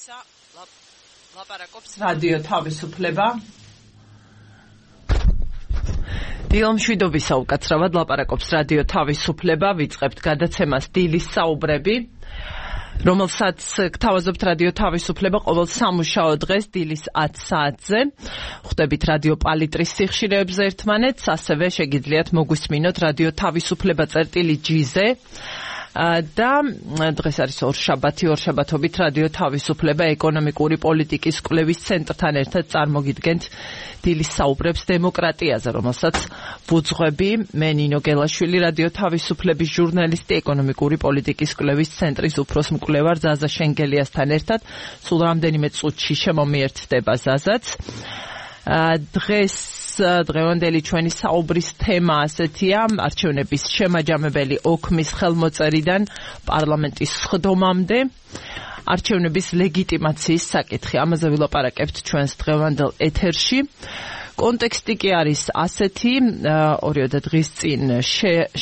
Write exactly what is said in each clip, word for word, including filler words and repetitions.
მშვიდობისა ლაპარაკობს რადიო თავისუფლება. დილო მშვიდობისა უკაცრავად ლაპარაკობს რადიო თავისუფლება. ვიწყებთ გადაცემას დილის საუბრები, რომელსაც გთავაზობთ რადიო თავისუფლება ყოველ სამუშაო დღეს დილის ათ საათზე. ხვდებით რადიო პალიტრის სიხშირეებზე ერთმანეთს, ასევე შეგიძლიათ მოგვისმინოთ რადიო თავისუფლება წერტილი ჯი-ზე. და დღეს არის ორშაბათი, ორშაბათობით რადიო თავისუფლება ეკონომიკური პოლიტიკის კვლევის ცენტრთან ერთად წარმოგიდგენთ დილის საუბრებს დემოკრატიაზე, რომელსაც ვუძღვები მე ნინო გელაშვილი, რადიო თავისუფლების ჟურნალისტი, ეკონომიკური პოლიტიკის კვლევის ცენტრის უფროს მკვლევარ ზაზა შენგელიასთან ერთად. სულ რამდენიმე წუთში შემომიერთდება ზაზაც. დღეს დღევანდელი ჩვენი საუბრის თემა ასეთია: არჩევნების შემაჯამებელი ოქმის ხელმოწერიდან პარლამენტის სხდომამდე, არჩევნების ლეგიტიმაციის საკითხი. ამაზე ვილაპარაკებთ ჩვენს დღევანდელ ეთერში. კონტექსტი კი არის ასეთი: ორიოდე დღის წინ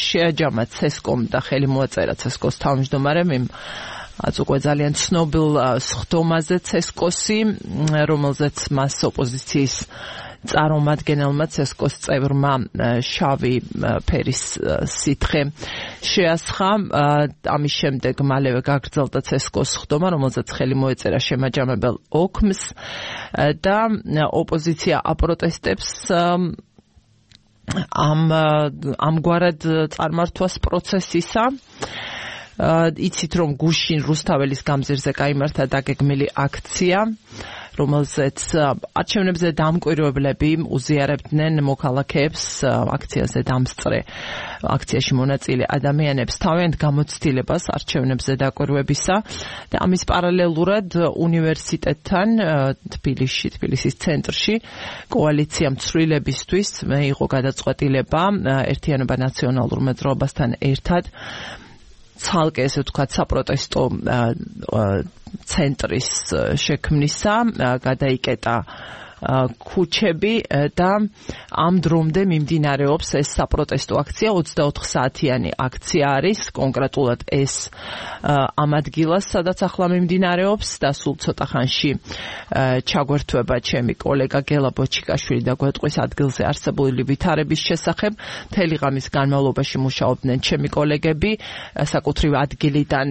შეაჯამა ცესკომ და ხელი მოაწერა ცესკოს თავმჯდომარემ იმ აც უკვე ძალიან ცნობილ სხდომაზე ცესკოსი, რომელზეც მას ოპოზიციის წარმომადგენელმა ცესკოს წევრმა შავი ფერის სითხე შეასხა. ამის შემდეგ მალევე გაგრძელდა ცესკოს სხდომა, რომელზეც ხელი მოეწერა შემაჯამებელ ოქმს და ოპოზიცია აპროტესტებს ამ ამგვარად წარმართვას პროცესისა. იცით, რომ გუშინ რუსთაველის გამზირზე გაიმართა დაგეგმილი აქცია, რომელზეც არჩევნებზე დამკვირვებლები უზიარებდნენ მოქალაქეებს, აქციაზე დამსწრე აქციაში მონაწილე ადამიანებს თავიანთ გამოცდილებას არჩევნებზე დაკვირვებისა და ამის პარალელურად უნივერსიტეტთან თბილისში, თბილისის ცენტრში კოალიცია მცვლილებისთვის მიიღო გადაწყვეტილება ერთიანობა ნაციონალურ მოძრაობასთან ერთად ცალკე, ესე ვთქვათ, საპროტესტო ცენტრის შექმნისა, გადაიკეტა ქუჩები და ამ დრომდე მიმდინარეობს ეს საპროტესტო აქცია. ოცდაოთხ საათიანი აქცია არის, კონკრეტულად ეს ამ ადგილას, სადაც ახლა მიმდინარეობს და სულ ცოტა ხანში ჩაგვერთვება ჩემი კოლეგა გელა ბოჩიკაშვილი და გვეტყვის ადგილზე არსებული ვითარების შესახებ. მთელი ღამის განმავლობაში მუშაობდნენ ჩემი კოლეგები, საკუთრივ ადგილიდან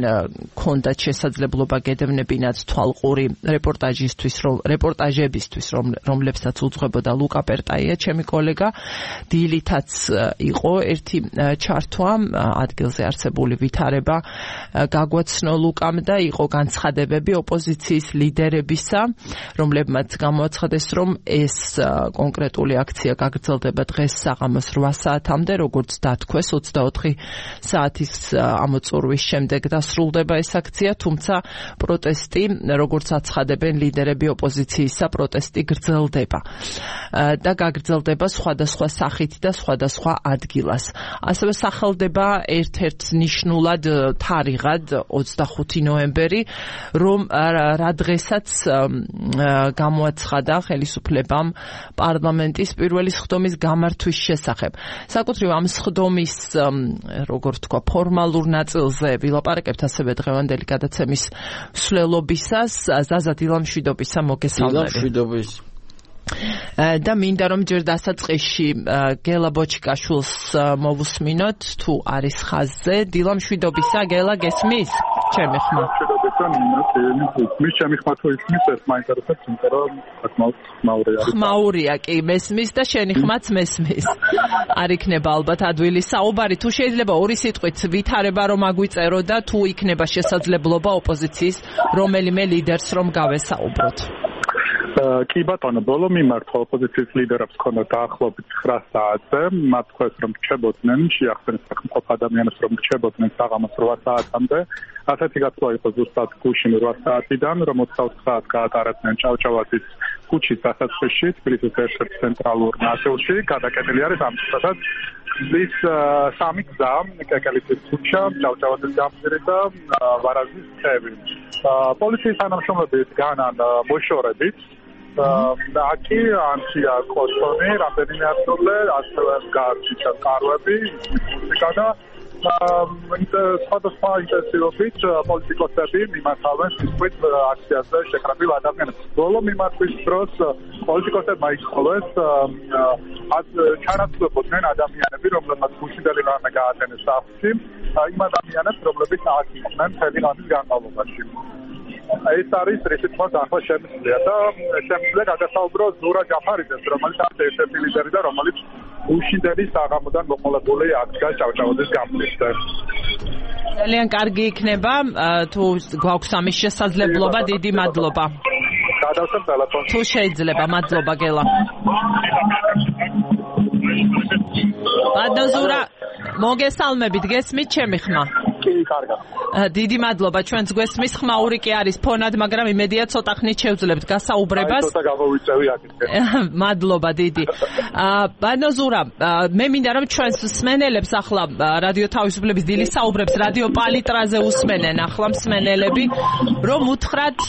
ჰქონდათ შესაძლებლობა გედევნებინათ თვალყური რეპორტაჟისთვის, რეპორტაჟებისთვის, რომ რომლებსაც უძღვებოდა ლუკა პერტაია, ჩემი კოლეგა. დილითაც იყო ერთი ჩართვა, ადგილზე არსებული ვითარება გაგვაცნო ლუკამ და იყო განცხადებები ოპოზიციის ლიდერებისა, რომლებმაც გამოაცხადეს, რომ ეს კონკრეტული აქცია გაგრძელდება დღეს საღამოს რვა საათამდე, როგორც დათქვეს, ოცდაოთხი საათის ამოწურვის შემდეგ დასრულდება ეს აქცია, თუმცა პროტესტი, როგორც აცხადებენ ლიდერები ოპოზიციისა, პროტესტი გრძელდება და გაგრძელდება სხვადასხვა სახით და სხვადასხვა ადგილას. ასევე სახელდება ერთ-ერთ ნიშნულად თარიღად ოცდახუთი ნოემბერი, რომ რა დღესაც გამოაცხადა ხელისუფლებამ პარლამენტის პირველი სხდომის გამართვის შესახებ. საკუთრივ ამ სხდომის, როგორ თქვა, ფორმალურ ნაწილზე ვილაპარაკებთ ასევე დღევანდელი გადაცემის მსვლელობისას. ზაზა, დილამშვიდობისა, მოგესალმები. დილამშვიდობის. და მინდა რომ ჯერ დასაწყისში გელა ბოჩიკაშვილს მოვუსმინოთ, თუ არის ხაზზე. დილამშვიდობისა, გელა, გესმის? ჩემი ხმა. მის ჩემი ხმა თუ ისმის, ეს მაინტერესებს, იმიტომ რომ საკმაოდ ხმაურია. ხმაურია კი, მესმის და შენი ხმაც მესმის. არ იქნება ალბათ ადვილი საუბარი, თუ შეიძლება ორი სიტყვით ვითარება რომ აგვიწერო და თუ იქნება შესაძლებლობა ოპოზიციის რომელიმე ლიდერს რომ გავესაუბროთ. კი ბატონო, ბოლო მიმართვა ოპოზიციის ლიდერებს ჰქონდათ დაახლოებით ცხრა საათზე. მათ თქვეს, რომ რჩებოდნენ, შეახსენეს საკმაოდ ადამიანებს, რომ რჩებოდნენ საღამოს რვა საათამდე. ასეთი გათვლა იყო ზუსტად გუშინ რვა საათიდან, რომ ოცდაოთხ საათს გაატარებდნენ ჭავჭავაძის ქუჩის დასაწყისში, თბილისის ერთ-ერთ ცენტრალურ ნაწილში. გადაკეტილი არის ამ წუთადაც ის სამი გზა, კეკელიძის ქუჩა, ჭავჭავაძის გამზირი და ვარაზის ხევი. პოლიციის თანამშრომლები განან მოშორებით. Aki Antia Kosoni, რამდენიმე ათწლე, ასევე გარჩი ჩაკარვები, მუსიკა და სხვადასხვა ინტენსივობით პოლიტიკოსები მიმართავენ სიტყვით აქციაზე შეხრებილ ადამიანებს. ბოლო მიმართვის დროს პოლიტიკოსებმა იცხოვეს ჩანაცვლებოდნენ ადამიანები, რომლებმაც გუშინდელი რამე გაატენეს სახლში, იმ ადამიანებს, რომლებიც აქ იყვნენ მთელი ღამის განმავლობაში. ეს არის რითმაც ახლა შემიძლია და შემიძლია გადასაუბრო ზურა ჯაფარიძეს, რომელიც არის ერთ-ერთი ლიდერი და რომელიც უშინდელი საღამოდან მოყოლებული აქ ჭავჭავაძის გამწვისზე. ძალიან კარგი იქნება თუ გვაქვს ამის შესაძლებლობა, დიდი მადლობა. გადავსვამ ტელეფონს. თუ შეიძლება, მადლობა გელა. ბადნოზურა, მოგესალმებით, გესმით ჩემი ხმა? კი, კარგად. დიდი მადლობა, ჩვენც გვესმის, ხმაური კი არის ფონად, მაგრამ იმედია ცოტა ხნით შევძლებთ გასაუბრებას. აი, ცოტა გამოვიწევი აქეთ. მადლობა დიდი. ბადნოზურა, მე მინდა რომ ჩვენს მსმენელებს ახლა რადიო თავისუფლების დილის საუბრებს რადიო პალიტრაზე უსმენენ ახლა მსმენელები, რომ უთხრათ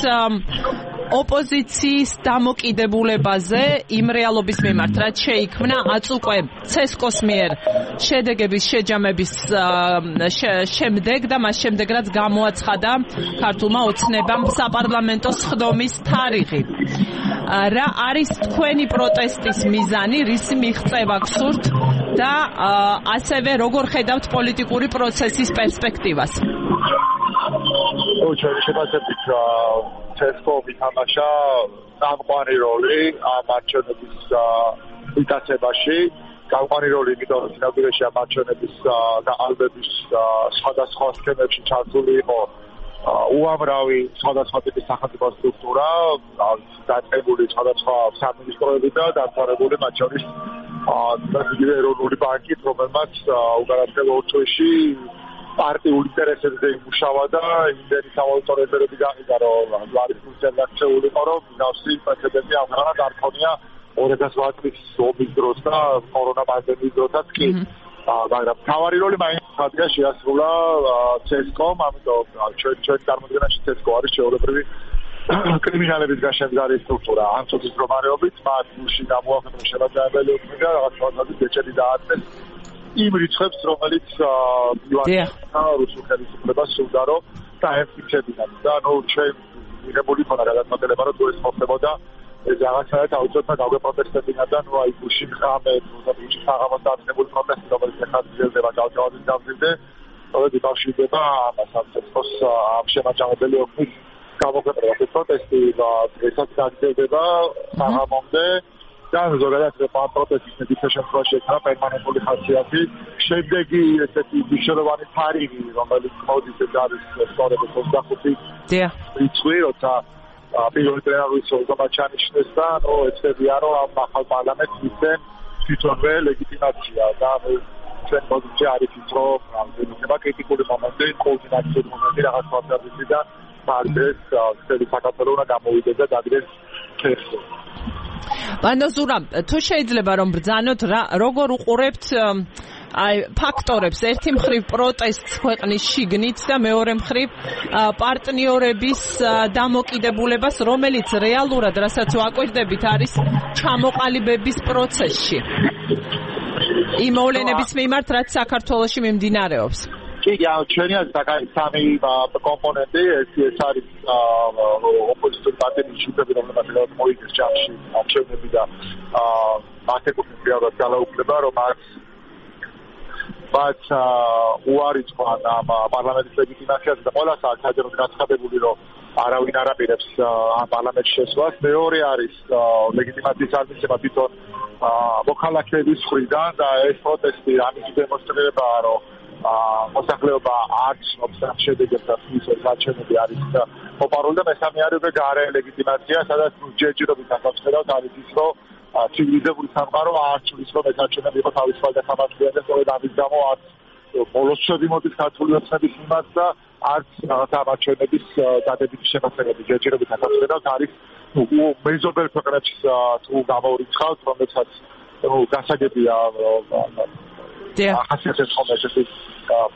ოპოზიციის დამოკიდებულებაზე იმ რეალობის მიმართ, რაც შეიქმნა აწუყვე ცესკოს მიერ შედეგების შეჯამების შემდეგ და მას შემდეგ რაც გამოაცხადა ქართულმა ოცნებამ საპარლამენტო სხდომის თარიღი. რა არის თქვენი პროტესტის მიზანი, რისი მიღწევა გსურთ და ასევე როგორ ხედავთ პოლიტიკური პროცესის პერსპექტივას? ო, ჩვენ შევასწავლეთ ცესკო მითამაშა სამყარი როლი ამ არჩევნების მიტაცებაში. გამყარი როლი იმიტომ რომ სინამდვილეში ამ არჩევნების გაყალბების სხვადასხვა სქემებში ჩართული იყო უამრავი სხვადასხვა ტიპის სახელმწიფო სტრუქტურა, დაწყებული სხვადასხვა სამინისტროები და დამთავრებული მათ შორის იგივე ეროვნული ბანკით, რომელმაც უკანასკნელ ორ წუთში პარტიულ ინტერესებზე იმუშავა და იმდენი სავალუტო რეზერვები გაყიდა, რომ არის ფუნქციონალური იყო, რომ ნავსი პრეცედენტი ამღანად არ ქონია ორ ათას ოთხ წლის ომის დროს და კორონა პანდემიის დროსაც კი. მაგრამ თავარი როლი მაინც ხადია შეასრულა ცესკომ, ამიტომ ჩვენ ჩვენ წარმოადგენაში ცესკო არის ჩვეულებრივი კრიმინალების გაშემდგარი სტრუქტურა. ამ წუთის მდგომარეობით მათ გულში გამოაქვეყნა შემაჯამებელი ოქმი და რაღაც ფორმატის ბეჭედი დააწეს იმ რიცხვებს, რომელიც რუსულ ხელისუფლებას სურდა რომ დაემტკიცებინათ და ნუ ჩვენ მიღებული ქონა გადაწყვეტილება რომ თუ ეს მოხდებოდა ეს რაღაცაა თავისუფლად დაგვეპროტესტებინა და ნუ აი გუშინ ღამე გუშინ საღამოს დაწყებული პროტესტი, რომელიც ახლა გრძელდება ჭავჭავაძის გამზირზე, რომელიც იკავშირდება ამას ამ ცესკოს ამ შემაჯამებელი ოქმის გამოქვეყნებას. ეს პროტესტი ესაც გაგრძელდება საღამომდე და ზოგადად ამ პროტესტის მედიცინაში შემთხვევაში ექნება პერმანენტული ხასიათი. შემდეგი ესეთი მნიშვნელოვანი თარიღი, რომელიც მოდის ეს არის სწორედ ოცდახუთი რიცხვი, როცა პირველი პლენარული სოლგომა ჩანიშნეს და ნუ ეცებია რომ ამ ახალ პარლამენტს მისცენ თვითონვე ლეგიტიმაცია და ჩვენ პოზიცია არის ის რომ იქნება კრიტიკული მომენტი, კოორდინაციული მომენტი რაღაც ფაქტორებიდან პარტიეს წელი საქართველოს უნდა გამოვიდეს და დაგდეს ქესო. ბანოზურა, თუ შეიძლება რომ ბრძანოთ როგორ უყურებთ აი ფაქტორებს, ერთი მხრივ პროტესტს ქვეყნის შიგნით და მეორე მხრივ პარტნიორების დამოკიდებულებას, რომელიც რეალურად, რასაც ვაკვირდებით, არის ჩამოყალიბების პროცესში. იმ მოვლენების მიმართ, რაც საქართველოში მიმდინარეობს. კი, ჩვენი არის სამი კომპონენტი, ეს არის ოპოზიციური პარტიების ჯგუფები, რომლებსაც მოიგეს ჯამში არჩევნები და მათ ეკუთვნიან ძალაუფლება, რომ მათ მათ უარი თქვან ამ პარლამენტის ლეგიტიმაციაზე და ყველა საერთოდ გაცხადებული, რომ არავინ არ აპირებს ამ პარლამენტში შესვლას. მეორე არის ლეგიტიმაციის არმისება თვითონ მოქალაქეების მხრიდან და ეს პროტესტი ამის დემონსტრირებაა, რომ მოსახლეობა არ ცნობს ამ შედეგებს და ის არჩევნები არის მოპარული და მესამე არის გარე ლეგიტიმაცია, სადაც ჯერჯერობით ახავსებთ არის ის, რომ ცივილიზებული სამყარო არ ცulis რომ ეს არჩევნები იყო თავისუფალი და სამართლიანი და სწორედ ამის გამო არც ბოლოს შედიმოდის ქართული ოცნების მიმართ და არც რაღაცა არჩევნების დადებითი შემოქმედება ჯერჯერობით ახავსებთ არის მეზობელ ქვეყნებში თუ გამორიცხავთ, რომელსაც გასაგებია ახასიათებს ხომ ესეთი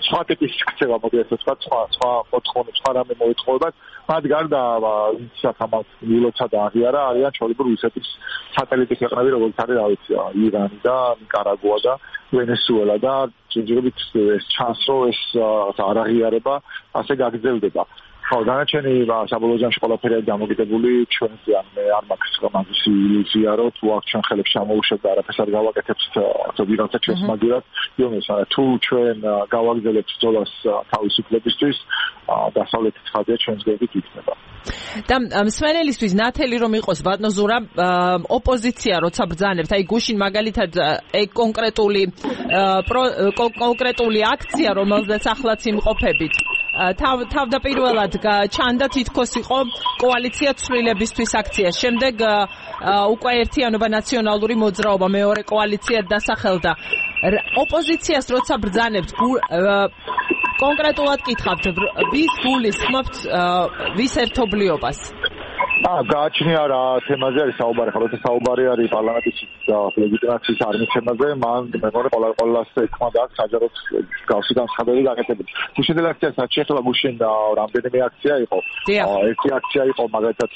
სხვა ტიპის ქცევა მოგიეს თქვა სხვა სხვა მოთხოვნებს სხვა რამე მოითხოვებათ მათ გარდა ვისაც ამას მილოცა და აღიარა არიან ჩვეულებრივ რუსეთის სატელიტი ქვეყნები როგორც არის რა ვიცი ირანი და ნიკარაგუა და ვენესუელა და ჯერჯერობით ეს ჩანს რომ ეს არ აღიარება ასე გაგრძელდება ხო დანარჩენი საბოლოო ჯამში ყველაფერი დამოკიდებული ჩვენზე ან მე არ მაქვს მაგის ილუზია რომ თუ აქ ჩვენ ხელებს ჩამოუშვებთ და არაფერს არ გავაკეთებთ ზოგიერთად ჩვენს მაგერად იმის თუ ჩვენ გავაგრძელებთ ბრძოლას თავისუფლებისთვის დასავლეთის ხაზია ჩვენს გვერდით იქნება და მსმენელისთვის ნათელი რომ იყოს ბატონო ზურა ოპოზიცია როცა ბრძანებთ აი გუშინ მაგალითად ეგ კონკრეტული კონკრეტული აქცია რომელზეც ახლაც იმყოფებით თავდაპირველად ჩანდა თითქოს იყო კოალიცია ცვლილებისთვის აქცია შემდეგ უკვე ერთიანობა ნაციონალური მოძრაობა მეორე კოალიცია დასახელდა ოპოზიციას როცა ბრძანებთ კონკრეტულად კითხავთ ვის გულისხმობთ ვის ერთობლიობას აა გააჩნია რა თემაზე არის საუბარი ხოლმე საუბარი არის პარლამენტის ლეგიტიმაციის არმიცემაზე მან მე მგონი ყველა ყველას ეკმოდა საჯაროდ გავსი განცხადები გაკეთებული გუშინდელ აქციას რაც შეეხება გუშინ რამდენიმე აქცია იყო ერთი აქცია იყო მაგალითად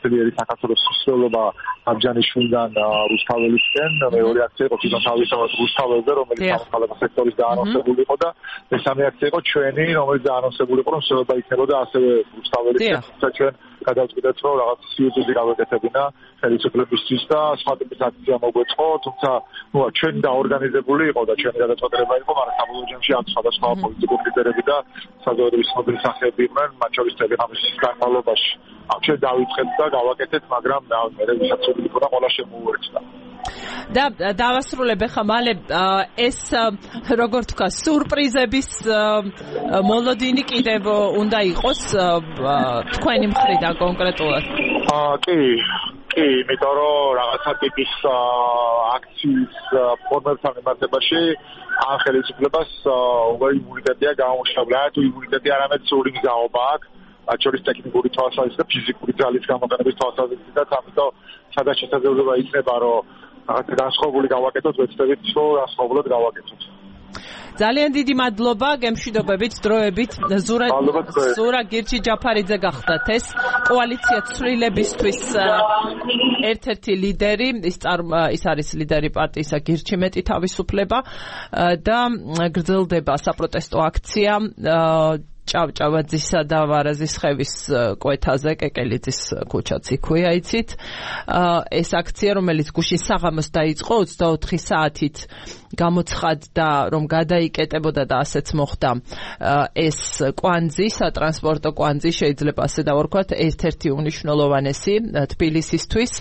ძლიერი საქართველოს სოციალობა აბჯანიშვილიდან რუსთაველისკენ მეორე აქცია იყო თვითონ თავისთავად რუსთაველზე რომელიც სამოქალაქო სექტორის დაანონსებული იყო და მესამე აქცია იყო ჩვენი რომელიც დაანონსებული იყო რომ შეიძლება იქნებოდა ასევე რუსთაველისკენ თუმცა ჩვენ გადავწყვიტეთ რომ რაღაც სიუჟეტი გავეკეთებინა ხელისუფლებისთვის და სხვა ტიპის აქცია მოგვეწყო თუმცა ნუ ჩვენ დაორგანიზებული იყო და ჩვენი გადაწყვეტილება იყო მაგრამ საბოლოო ჯამში ამ სხვადასხვა პოლიტიკური ლიდერები და საზოგადოების ცნობილი სახეები იყვნენ მათ შორის ტელეგრამის განმავლობაში ჩვენ დავიწყეთ და გავაკეთეთ მაგრამ მე ვისაც ვიყო და ყველა შემოუერთდა და დავასრულებ ახლა მალე ეს როგორ თქვა სურპრიზების მოლოდინი კიდევ უნდა იყოს თქვენი მხრიდან კონკრეტულად აა კი კი იმიტომ რომ რაღაცა ტიპის აქციის ფორმებთან მიმართებაში ამ ხელისუფლებას უკვე იმუნიტეტია გამომშრალებული თუ იმუნიტეტი არამედ სრული მგზავრობა აქვს მათ შორის ტექნიკური თვალსაზრისით და ფიზიკური ძალის გამოყენების თვალსაზრისითაც ამიტომ სადაც შესაძლებლობა იქნება რომ რაღაცა განსხვავებული გავაკეთოთ ვეცდებით რომ განსხვავებულად გავაკეთოთ ძალიან დიდი მადლობა გემშვიდობებით დროებით ზურა ზურა გირჩი ჯაფარიძე გახდათ ეს კოალიცია ცვლილებისთვის ერთ-ერთი ლიდერი ის ის არის ლიდერი პარტიისა გირჩი მეტი თავისუფლება და გრძელდება საპროტესტო აქცია ჭავჭავაძისა და ვარაზისხევის კვეთაზე კეკელიძის ქუჩაც იქვეა იცით ეს აქცია რომელიც გუშინ საღამოს დაიწყო ოცდაოთხი საათით გამოცხადდა რომ გადაიკეტებოდა და ასეც მოხდა ეს კვანძი სატრანსპორტო კვანძი შეიძლება ასე დავარქვათ ერთ-ერთი უმნიშვნელოვანესი თბილისისთვის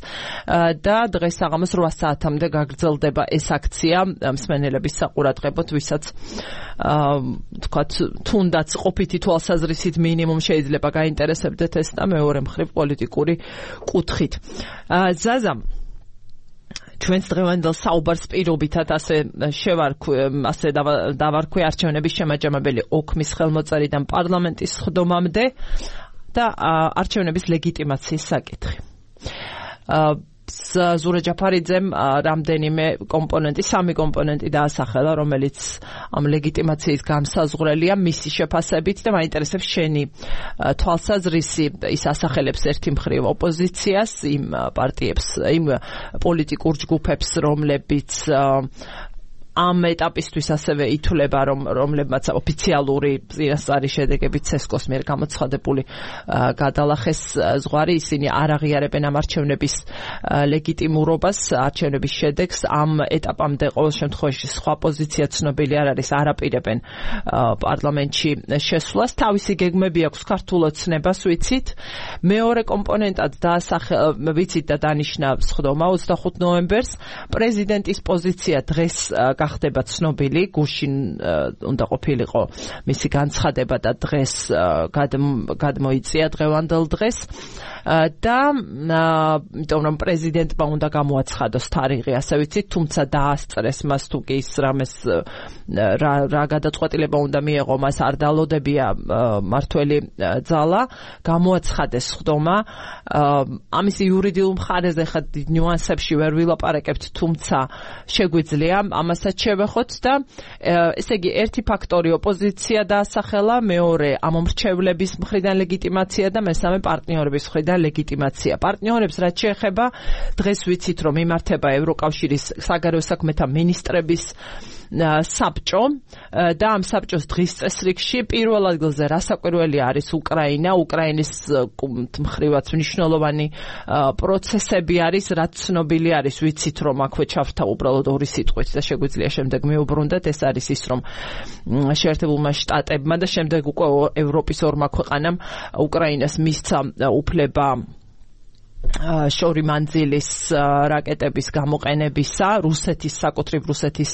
და დღეს საღამოს რვა საათამდე გაგრძელდება ეს აქცია მსმენელების საყურადღებოდ ვისაც თქვათ თუნდაც ყოფითი თვალსაზრისით მინიმუმ შეიძლება გაინტერესებდეთ ეს და მეორე მხრივ პოლიტიკური კუთხით ზაზა ჩვენს დღევანდელ საუბარს პირობითად ასე შევარქვი ასე დავარქვი არჩევნების შემაჯამებელი ოქმის ხელმოწერიდან პარლამენტის სხდომამდე და არჩევნების ლეგიტიმაციის საკითხი ზურა ჯაფარიძემ რამდენიმე კომპონენტი, სამი კომპონენტი დაასახელა, რომელიც ამ ლეგიტიმაციის გამსაზღვრელია მისი შეფასებით და მაინტერესებს შენი თვალსაზრისი. ის ასახელებს ერთი მხრივ ოპოზიციას, იმ პარტიებს, იმ პოლიტიკურ ჯგუფებს, რომლებიც ამ ეტაპისთვის ასევე ითვლება, რომ რომლებმაც ოფიციალური წინასწარი შედეგებით ცესკოს მიერ გამოცხადებული გადალახეს ზღვარი, ისინი არ აღიარებენ ამ არჩევნების ლეგიტიმურობას, არჩევნების შედეგს. ამ ეტაპამდე ყოველ შემთხვევაში სხვა პოზიცია ცნობილი არ არის, არაპირებენ პარლამენტში შესვლას. თავისი გეგმები აქვს ქართულ ოცნებას, ვიცით. მეორე კომპონენტად დაასახელა, ვიცით და დანიშნა სხდომა ოცდახუთ ნოემბერს. პრეზიდენტის პოზიცია დღეს გახდება ცნობილი, გუშინ უნდა ყოფილიყო მისი განცხადება და დღეს გადმოიწია დღევანდელ დღეს და იმიტომ რომ პრეზიდენტმა უნდა გამოაცხადოს თარიღი, ასე ვიცით, თუმცა დაასწრეს მას თუ კი ის რამეს რა რა გადაწყვეტილება უნდა მიეღო, მას არ დალოდებია მართველი ძალა, გამოაცხადეს სხდომა. ამის იურიდიულ მხარეზე ხა ნიუანსებში ვერ ვილაპარაკებთ, თუმცა შეგვიძლია ამასთან რასაც შევეხოთ და ესე იგი ერთი ფაქტორი ოპოზიცია დაასახელა, მეორე ამომრჩევლების მხრიდან ლეგიტიმაცია და მესამე პარტნიორების მხრიდან ლეგიტიმაცია. პარტნიორებს რაც შეეხება, დღეს ვიცით რომ იმართება ევროკავშირის საგარეო საქმეთა მინისტრების საბჭო და ამ საბჭოს დღის წესრიგში პირველ ადგილზე რასაკვირველი არის უკრაინა, უკრაინის მხრივაც მნიშვნელოვანი პროცესები არის, რაც ცნობილი არის, ვიცით რომ აქვე ჩავრთა უბრალოდ ორი სიტყვით და შეგვიძლია შემდეგ მიუბრუნდეთ, ეს არის ის რომ შეერთებულმა შტატებმა და შემდეგ უკვე ევროპის ორმა ქვეყანამ უკრაინას მისცა უფლება შორი მანძილის რაკეტების გამოყენებისა რუსეთის საკუთრივ რუსეთის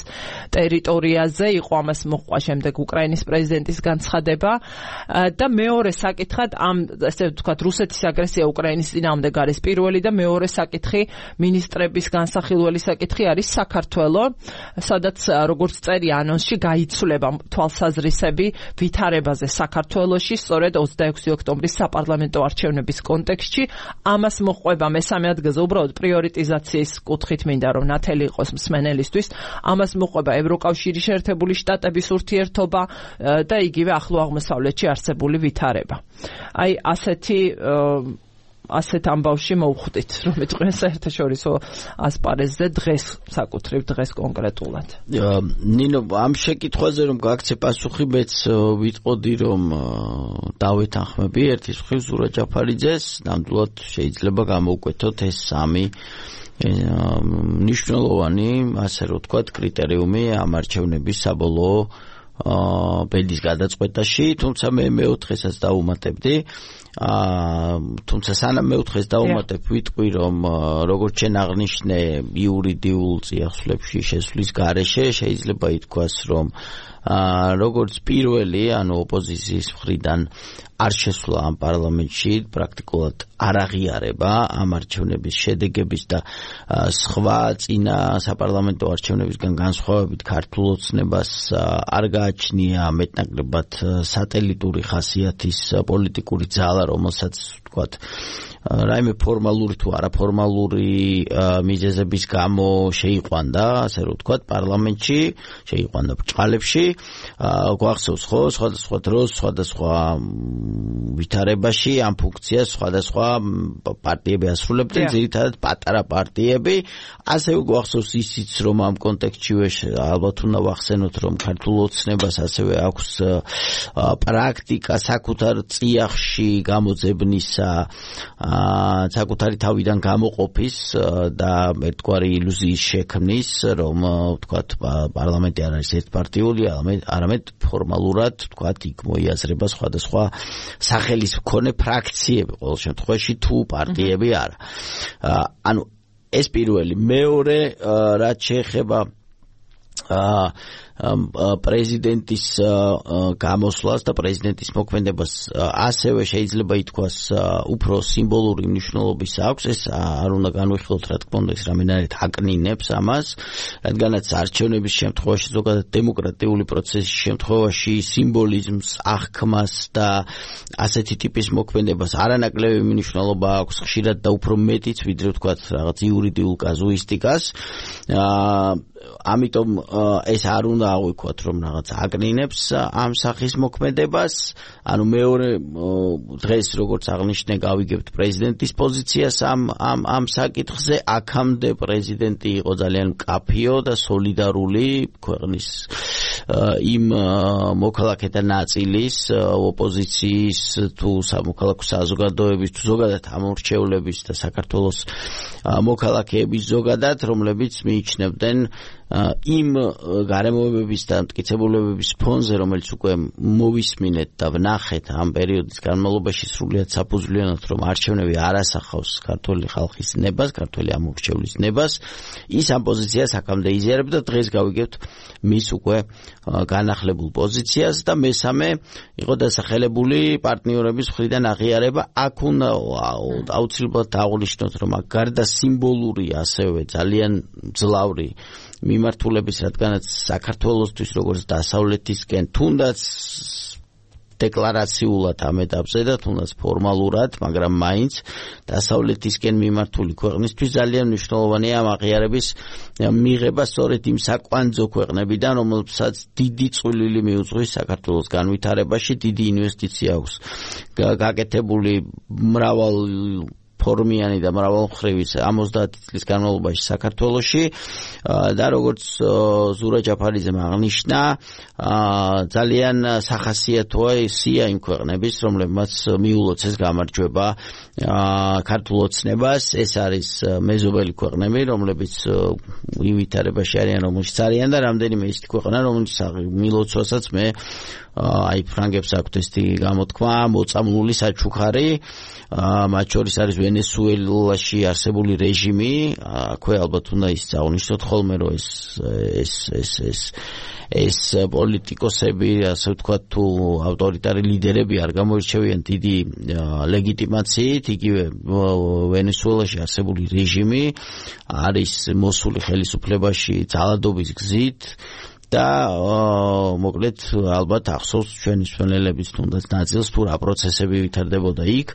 ტერიტორიაზე იყო ამას მოყვა შემდეგ უკრაინის პრეზიდენტის განცხადება და მეორე საკითხად ამ ესე ვთქვათ რუსეთის აგრესია უკრაინის წინააღმდეგ არის პირველი და მეორე საკითხი მინისტრების განსახილველი საკითხი არის საქართველო სადაც როგორც წერია ანონსში გაიცვლება თვალსაზრისები ვითარებაზე საქართველოში სწორედ ოცდაექვსი ოქტომბრის საპარლამენტო არჩევნების კონტექსტში ამას ყვება მესამე ადგილზე უბრალოდ პრიორიტიზაციის კუთხით მინდა რომ ნათელი იყოს მსმენელისთვის ამას მოყვება ევროკავშირის შეერთებული შტატების ურთიერთობა და იგივე ახლო აღმოსავლეთში არსებული ვითარება. აი ასეთი ასეთ ამბავში მოვხვდით რომ მეტყვია საერთაშორისო ასპარეზზე დღეს საკუთრივ დღეს კონკრეტულად. ნინო ამ შეკითხვაზე რომ გაქცე პასუხი მეც ვიტყოდი რომ დავეთანხმები ერთის მხრივ ზურა ჯაფარიძეს ნამდვილად შეიძლება გამოვკვეთოთ ეს სამი მნიშვნელოვანი ასე რომ ვთქვათ კრიტერიუმი ამ არჩევნების საბოლოო ბედის გადაწყვეტაში თუმცა მე მეოთხესაც დაუმატებდი თუმცა სანამ მეოთხეს დაუმატებ ვიტყვი რომ როგორც შენ აღნიშნე იურიდიულ წიაღსვლებში შესვლის გარეშე შეიძლება ითქვას რომ როგორც პირველი ანუ ოპოზიციის მხრიდან არ შესვლა ამ პარლამენტში პრაქტიკულად არ აღიარება ამ არჩევნების შედეგების და სხვა წინა საპარლამენტო არჩევნებისგან განსხვავებით ქართულ ოცნებას არ გააჩნია მეტნაკლებად სატელიტური ხასიათის პოლიტიკური ძალა რომელსაც ვთქვათ რაიმე ფორმალური თუ არაფორმალური მიზეზების გამო შეიყვანდა ასე რომ ვთქვათ პარლამენტში შეიყვანდა ბრჭყალებში გვახსოვს ხო სხვადასხვა დროს სხვადასხვა ვითარებაში ამ ფუნქციას სხვადასხვა პარტიები ასრულებდნენ ძირითადად პატარა პარტიები ასევე გვახსოვს ისიც რომ ამ კონტექსტშივე ალბათ უნდა ვახსენოთ რომ ქართულ ოცნებას ასევე აქვს პრაქტიკა საკუთარ წიაღში გამოძებნისა საკუთარი თავიდან გამოყოფის და ერთგვარი ილუზიის შექმნის რომ ვთქვათ პარლამენტი არ არის ერთპარტიული არამედ ფორმალურად ვთქვათ იქ მოიაზრება სხვადასხვა სახელის მქონე ფრაქციები ყოველ შემთხვევაში თუ პარტიები არა ანუ ეს პირველი მეორე რაც შეეხება პრეზიდენტის გამოსვლას და პრეზიდენტის მოქმედებას ასევე შეიძლება ითქვას უფრო სიმბოლური მნიშვნელობის აქვს ეს არ უნდა განვიხილოთ რა თქმა უნდა ეს რამენერით აკნინებს ამას რადგანაც არჩევნების შემთხვევაში ზოგადად დემოკრატიული პროცესის შემთხვევაში სიმბოლიზმს აღქმას და ასეთი ტიპის მოქმედებას არანაკლები მნიშვნელობა აქვს ხშირად და უფრო მეტიც ვიდრე ვთქვათ რაღაც იურიდიულ კაზუისტიკას ამიტომ ეს არ უნდა ავიქოთ რომ რაღაც აკნინებს ამ სახის მოქმედებას ანუ მეორე დღეს როგორც აღნიშნე გავიგებთ პრეზიდენტის პოზიციას ამ ამ ამ საკითხზე აქამდე პრეზიდენტი იყო ძალიან მკაფიო და სოლიდარული ქვეყნის იმ მოქალაქეთა ნაწილის ოპოზიციის თუ სამოქალაქო საზოგადოების თუ ზოგადად ამორჩევლების და საქართველოს მოქალაქეების ზოგადად რომლებიც მიიჩნევდნენ იმ გარემოებების და მტკიცებულებების ფონზე რომელიც უკვე მოვისმინეთ და ვნახეთ ამ პერიოდის განმავლობაში სრულიად საფუძვლიანად რომ არჩევნები არ ასახავს ქართული ხალხის ნებას, ქართული ამორჩევლის ნებას, ის ამ პოზიციას აქამდე იზიარებდა და დღეს გავიგებთ მის უკვე განახლებულ პოზიციას და მესამე იყო დასახელებული პარტნიორების მხრიდან აღიარება. აქ უნდა აუცილებლად დავაღნიშნოთ რომ აქ გარდა სიმბოლური ასევე ძალიან მძლავრი მიმართულების რადგანაც საქართველოსთვის როგორც დასავლეთისკენ თუნდაც დეკლარაციულად ამ ეტაპზე და თუნდაც ფორმალურად, მაგრამ მაინც დასავლეთისკენ მიმართული ქვეყნისთვის ძალიან მნიშვნელოვანია ამ აღიარების მიღება სწორედ იმ საკვანძო ქვეყნებიდან, რომელსაც დიდი წვლილი მიუძღვის საქართველოს განვითარებაში, დიდი ინვესტიცია აქვს გაკეთებული მრავალ ფორმიანი და მრავალმხრივი ოცდაათი წლის განმავლობაში საქართველოში და როგორც ზურა ჯაფარიძემ აღნიშნა, ძალიან სახასიათოა სია იმ ქვეყნების, რომლებმაც მიულოცეს გამარჯვება ქართულ ოცნებას. ეს არის მეზობელი ქვეყნები, რომლებიც ივითარებაში არიან, რომელშიც არიან და რამდენიმე ისეთი ქვეყნა, რომელიც მილოცვასაც მე აი ფრანგებს აქვთ ესეთი გამოთქმა, მოწამლული საჩუქარი, მათ შორის არის ვენესუელაში არსებული რეჟიმი, აქვე ალბათ უნდა ის აღნიშნოთ ხოლმე, რომ ეს ეს ეს ეს ეს პოლიტიკოსები, ასე ვთქვათ, თუ ავტორიტარი ლიდერები არ გამოირჩევიან დიდი ლეგიტიმაციით, იგივე ვენესუელაში არსებული რეჟიმი არის მოსული ხელისუფლებაში ძალადობის გზით და მოკლედ ალბათ ახსოვს ჩვენი მსმენელების თუნდაც ნაწილს თუ რა პროცესები ვითარდებოდა იქ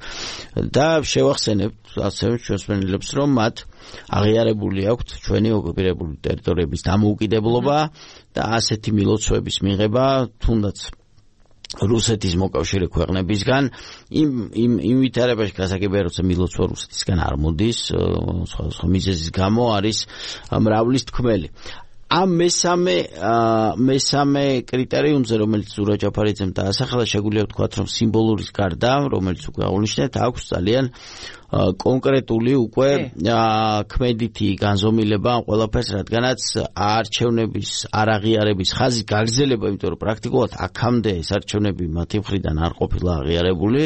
და შევახსენებთ ასევე ჩვენს მსმენელებს, რომ მათ აღიარებული აქვთ ჩვენი ოკუპირებული ტერიტორიების დამოუკიდებლობა და ასეთი მილოცვების მიღება თუნდაც რუსეთის მოკავშირე ქვეყნებისგან იმ იმ იმ ვითარებაში გასაგებია, როცა მილოცვა რუსეთისგან არ მოდის, სხვა სხვა მიზეზის გამო არის მრავლის თქმელი. ამ მესამე მესამე კრიტერიუმზე, რომელიც ზურა ჯაფარიძემ დაასახელა, შეგვიძლია ვთქვათ, რომ სიმბოლურის გარდა, რომელიც უკვე აღნიშნეთ, აქვს ძალიან კონკრეტული უკვე ქმედითი განზომილება ამ ყველაფერს, რადგანაც არჩევნების არაღიარების ხაზი გაგრძელება, იმიტომ რომ პრაქტიკულად აქამდე ეს არჩევნები მათი მხრიდან არ ყოფილა აღიარებული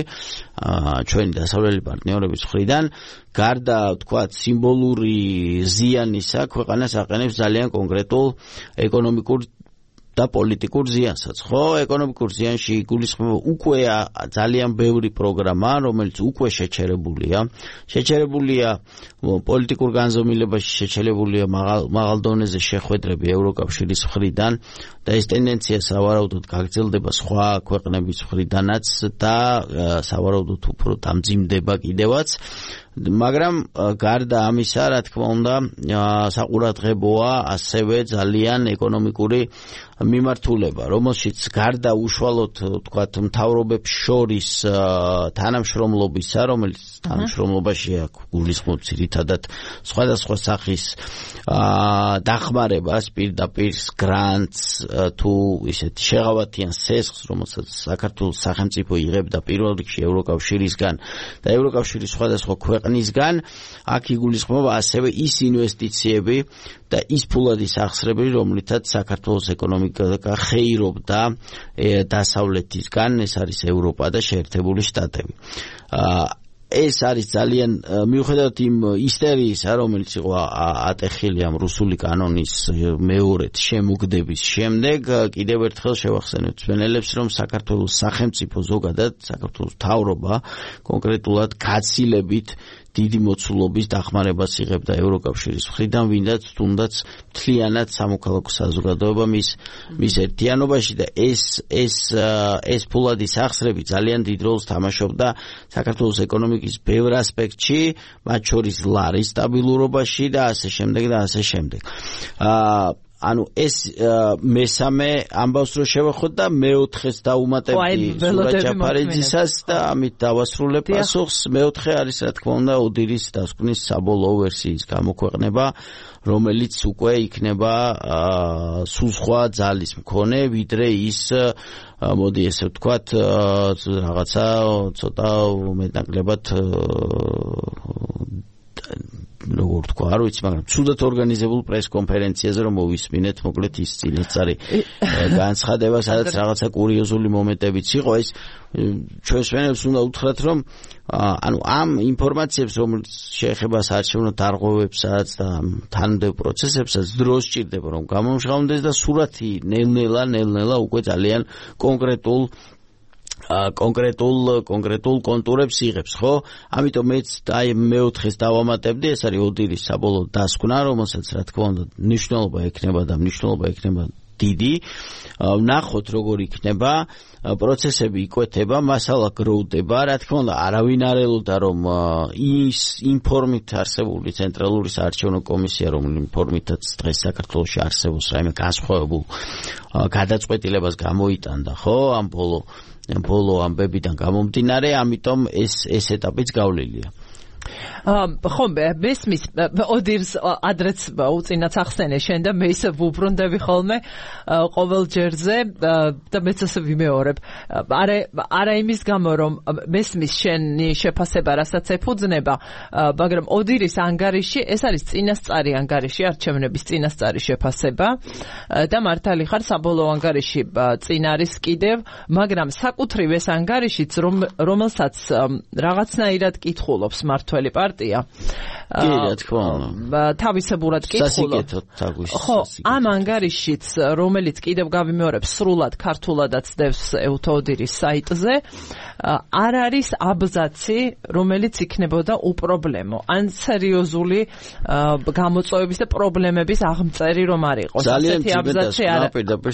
ჩვენი დასავლელი პარტნიორების მხრიდან, გარდა ვთქვათ სიმბოლური ზიანისა, ქვეყანას აყენებს ძალიან კონკრეტულ ეკონომიკურ და პოლიტიკურ ზიანსაც, ხო? ეკონომიკურ ზიანში იგულისხმება უკვე ძალიან ბევრი პროგრამა, რომელიც უკვე შეჩერებულია. შეჩერებულია პოლიტიკურ განზომილებაში, შეჩერებულია მაღალ დონეზე შეხვედრები ევროკავშირის მხრიდან და ეს ტენდენცია სავარაუდოდ გაგრძელდება სხვა ქვეყნების მხრიდანაც და სავარაუდოდ უფრო დამძიმდება კიდევაც. მაგრამ გარდა ამისა, რა თქმა უნდა, საყურადღებოა ასევე ძალიან ეკონომიკური მიმართულება, რომელშიც გარდა უშუალოდ ვთქვათ მთავრობებს შორის თანამშრომლობისა, რომელიც თანამშრომლობაში გულისხმობს ძირითადად სხვადასხვა სახის დახმარებას, პირდაპირ გრანტს თუ ისეთი შეღავათიან სესხს, რომელსაც საქართველოს სახელმწიფო იღებდა პირველ რიგში ევროკავშირისგან და ევროკავშირის სხვადასხვა ქვეყნისგან, აქ იგულისხმება ასევე ის ინვესტიციები და ის ფულადი სახსრები, რომლითაც საქართველოს ეკონომიკა ხეირობდა დასავლეთისგან, ეს არის ევროპა და შეერთებული შტატები. ეს არის ძალიან მიუხედავად იმ ისტერიისა, რომელიც იყო ატეხილი ამ რუსული კანონის მეორედ შემოგდების შემდეგ, კიდევ ერთხელ შევახსენებთ მსმენელებს, რომ საქართველოს სახელმწიფო ზოგადად, საქართველოს მთავრობა კონკრეტულად გაცილებით დიდი მოცულობის დახმარებას იღებდა ევროკავშირის მხრიდან, ვინდაც თუნდაც მთლიანად სამოქალაქო საზოგადოება მის მის ერთიანობაში და ეს ეს ეს ფულადი სახსრები ძალიან დიდ როლს თამაშობდა საქართველოს ეკონომიკის ბევრ ასპექტში, მათ შორის ლარის სტაბილურობაში და ასე შემდეგ და ასე შემდეგ. აა ანუ ეს მესამე ამბავს რო შევახოთ და მეოთხეს დაუმატებდი ზურა ჯაფარიძისას და ამით დავასრულებ პასუხს. მეოთხე არის რა თქმა უნდა ოდირის დასკვნის საბოლოო ვერსიის გამოქვეყნება, რომელიც უკვე იქნება სულ სხვა ძალის მქონე, ვიდრე ის მოდი ესე ვთქვათ რაღაცა ცოტა მეტნაკლებად როგორ თქვა, არ ვიცი, მაგრამ ცუდად ორგანიზებულ პრეს-კონფერენციაზე რომ მოვისმინეთ, მოკლედ ის წინასწარი განცხადება, სადაც რაღაცა კურიოზული მომენტებიც იყო, ეს ჩვენს მსმენელებს უნდა უთხრათ, რომ ანუ ამ ინფორმაციებს, რომელიც შეეხება საარჩევნო დარღვევებსაც და თანმიმდევრ პროცესებსაც, დრო სჭირდება, რომ გამომჟღავნდეს და სურათი ნელ-ნელა, ნელ-ნელა უკვე ძალიან კონკრეტულ კონკრეტულ კონკრეტულ კონტურებს იღებს, ხო? ამიტომ მეც აი მეოთხეს დავამატებდი, ეს არის ოდირის საბოლოო დასკვნა, რომელსაც რა თქმა უნდა მნიშვნელობა ექნება და მნიშვნელობა ექნება დიდი. ვნახოთ როგორ იქნება, პროცესები იკვეთება, მასალა გროვდება, რა თქმა უნდა, არავინ არ ელოდა რომ ის ინფორმით არსებული ცენტრალური საარჩევნო კომისია, რომელიც ინფორმითაც დღეს საქართველოში არსებობს, რაიმე განსხვავებულ გადაწყვეტილებას გამოიტანდა, ხო, ამ ბოლო ბოლო ამბებიდან გამომდინარე, ამიტომ ეს ეს ეტაპიც გავლილია. ხო, მესმის ოდირს ადრეც უწინაც ახსენე შენ და მე ისე ვუბრუნდები ხოლმე ყოველ ჯერზე და მეც ასე ვიმეორებ. არა არა იმის გამო რომ მესმის შენი შეფასება რასაც ეფუძნება, მაგრამ ოდირის ანგარიში ეს არის წინასწარი ანგარიში, არჩევნების წინასწარი შეფასება და მართალი ხარ, საბოლოო ანგარიში წინ არის კიდევ, მაგრამ საკუთრივ ეს ანგარიშიც რომელსაც რაღაცნაირად კითხულობს მართველი პარტია. კი, რა თქმა უნდა. თავისებურად კითხულობს. ხო, ამ ანგარიშიც, რომელიც კიდევ გავიმეორებ, სრულად ქართულადაც დევს ევთოდირის საიტზე, არ არის აბზაცი, რომელიც იქნებოდა უპრობლემო. ან სერიოზული გამოწვევების და პრობლემების აღმწერი რომ არ იყოს. ძალიან აბზაცი არ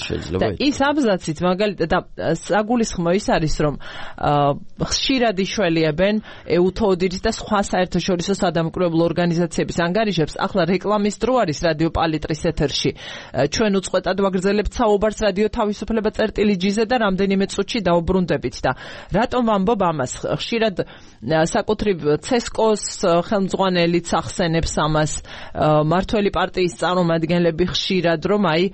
შეიძლება. ის აბზაცით მაგალითად და საგულისხმო ის არის, რომ ხშირად იშველიებენ ევთოდირის და სხვა საერთაშორისო სადამკვირვებლო ორგანიზაციების ანგარიშებს. ახლა რეკლამის დრო არის რადიო პალიტრის ეთერში. ჩვენ უწყვეტად ვაგრძელებთ საუბარს რადიო თავისუფლება წერტილი ჯიზე და რამდენიმე წუთში დაუბრუნდებით და რატომ ვამბობ ამას? ხშირად საკუთრივ ცესკოს ხელმძღვანელიც ახსენებს ამას, მართველი პარტიის წარმომადგენლები ხშირად რომ აი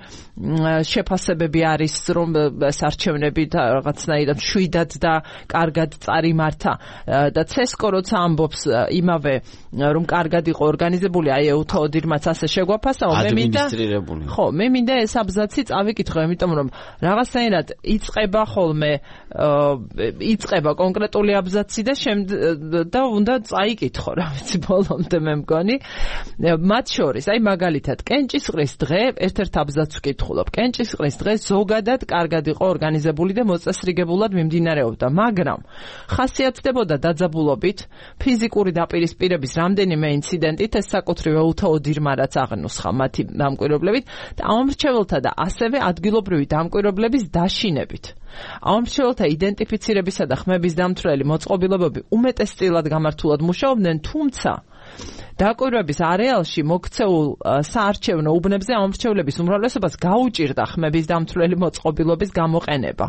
შეფასებები არის რომ საარჩევნები რაღაცნაირად შვიდად და კარგად წარიმართა და ცესკო როცა ამბობს იმავე რომ კარგად იყო ორგანიზებული, აი ევთოდირმაც ასე შეგვაფასაო, მე მინდა ხო, მე მინდა ეს აბზაცი წავიკითხო, იმიტომ რომ რაღაცნაირად იწყება ხოლმე იწყება კონკრეტული აბზაცი და და უნდა წაიკითხო რა ვიცი ბოლომდე მე მგონი. მათ შორის, აი მაგალითად, კენჭისყრის დღე ერთ-ერთ აბზაცს ვკითხულობ. კენჭისყრის დღე ზოგადად კარგად იყო ორგანიზებული და მოწესრიგებულად მიმდინარეობდა, მაგრამ ხასიათდებოდა დაძაბულობით, ფიზიკური დაპირისპირების რამდენიმე ინციდენტით, ეს საკუთრივ ევთოდირმა რაც აღნუსხა მათი დამკვირვებლებით და ამომრჩეველთა და ასევე ადგილობრივი დამკვირვებლების დაშინებით. ამომრჩეველთა იდენტიფიცირებისა და ხმების დამცველი მოწყობილობები უმეტესწილად გამართულად მუშაობდნენ, თუმცა დაკვირვების არეალში მოქცეულ საარჩევნო უბნებზე ამომრჩევლების უმრავლესობას გაუჭირდა ხმების დამცველი მოწყობილობის გამოყენება.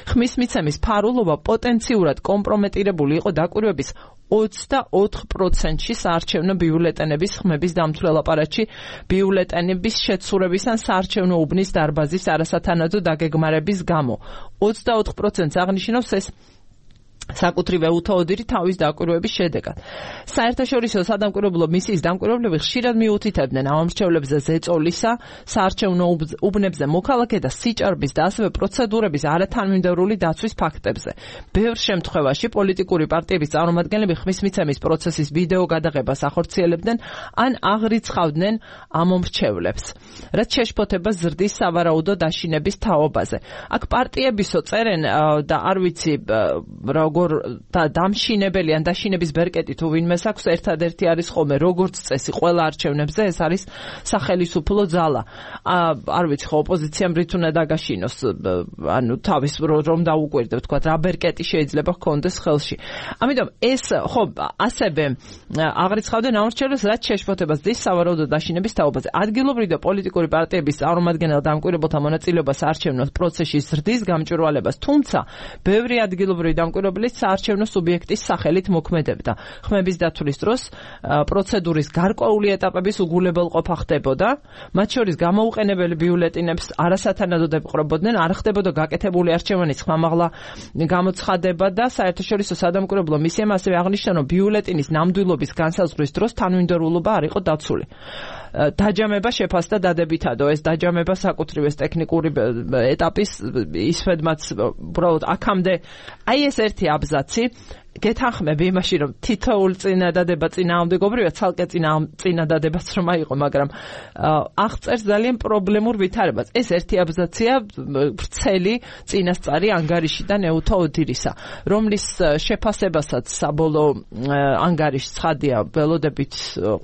ხმის მიცემის ფარულობა პოტენციურად კომპრომეტირებული იყო დაკვირვების ოცდაოთხ პროცენტში საარჩევნო ბიულეტენების ხმების დამცველ აპარატში ბიულეტენების შეცურების ან საარჩევნო უბნის დარბაზის არასათანადო დაგეგმარების გამო. ოცდაოთხ პროცენტს აღნიშნავს ეს საკუთრივ ევთოდირი თავის დაკვირვების შედეგად. საერთაშორისო სადამკვირვებლო მისიის დამკვირვებლები ხშირად მიუთითებდნენ ამომრჩევლებზე ზეწოლისა, საარჩევნო უბნებზე მოქალაქე და სიჭარბის და ასევე პროცედურების არათანმიმდევრული დაცვის ფაქტებზე. ბევრ შემთხვევაში პოლიტიკური პარტიების წარმომადგენლები ხმის მიცემის პროცესის ვიდეო გადაღებას ახორციელებდნენ ან აღრიცხავდნენ ამომრჩევლებს, რაც შეშფოთებას ზრდის სავარაუდო დაშინების თაობაზე. აქ პარტიებისო წერენ და არ ვიცი როგორ და დამშინებელი ან დაშინების ბერკეტი თუ ვინმეს აქვს, ერთადერთი არის ხოლმე როგორც წესი ყველა არჩევნებზე ეს არის სახელისუფლო ძალა. არ ვიცი ხო ოპოზიციამ რით უნდა დაგაშინოს, ანუ თავის რომ დაუკვირდე თქვა რა ბერკეტი შეიძლება ჰქონდეს ხელში. ამიტომ ეს ხო ასევე აღრიცხავდნენ ამორჩევლებს, რაც შეშფოთებას ზრდის სავარაუდო დაშინების თაობაზე. ადგილობრივი და პოლიტიკური პარტიების წარმომადგენელ დამკვირვებელთა მონაწილეობა საარჩევნო პროცესში ზრდის გამჭვირვალებას, თუმცა ბევრი ადგილობრივი დამკვირვებელი საარჩევნო სუბიექტის სახელით მოქმედებდა. ხმების დათვლის დროს პროცედურის გარკვეული ეტაპების უგულებელყოფა ხდებოდა, მათ შორის გამოუყენებელი ბიულეტენებს არასათანადოდ ეპყრობოდნენ, არ ხდებოდა გაკეთებული არჩევანის ხმამაღლა გამოცხადება და საერთაშორისო სადამკვირვებლო მისიამ ასევე აღნიშნა, რომ ბიულეტენის ნამდვილობის განსაზღვრის დროს თანმიმდევრულობა არ იყო დაცული. დაჯამება შეფასდა დადებითადო, ეს დაჯამება საკუთრივ ეს ტექნიკური ეტაპის ისვედმაც უბრალოდ აქამდე აი ეს ერთი აბზაცი გეთანხმები იმაში, რომ თითოეულ წინადადება წინააღმდეგობრივად ცალკე წინადადებაც რომ აიღო, მაგრამ აღწერს ძალიან პრობლემურ ვითარებას. ეს ერთი აბზაცია ვრცელი წინასწარი ანგარიშიდან ეუთო ოდირისა, რომლის შეფასებასაც საბოლოო ანგარიშს ცხადია ველოდებით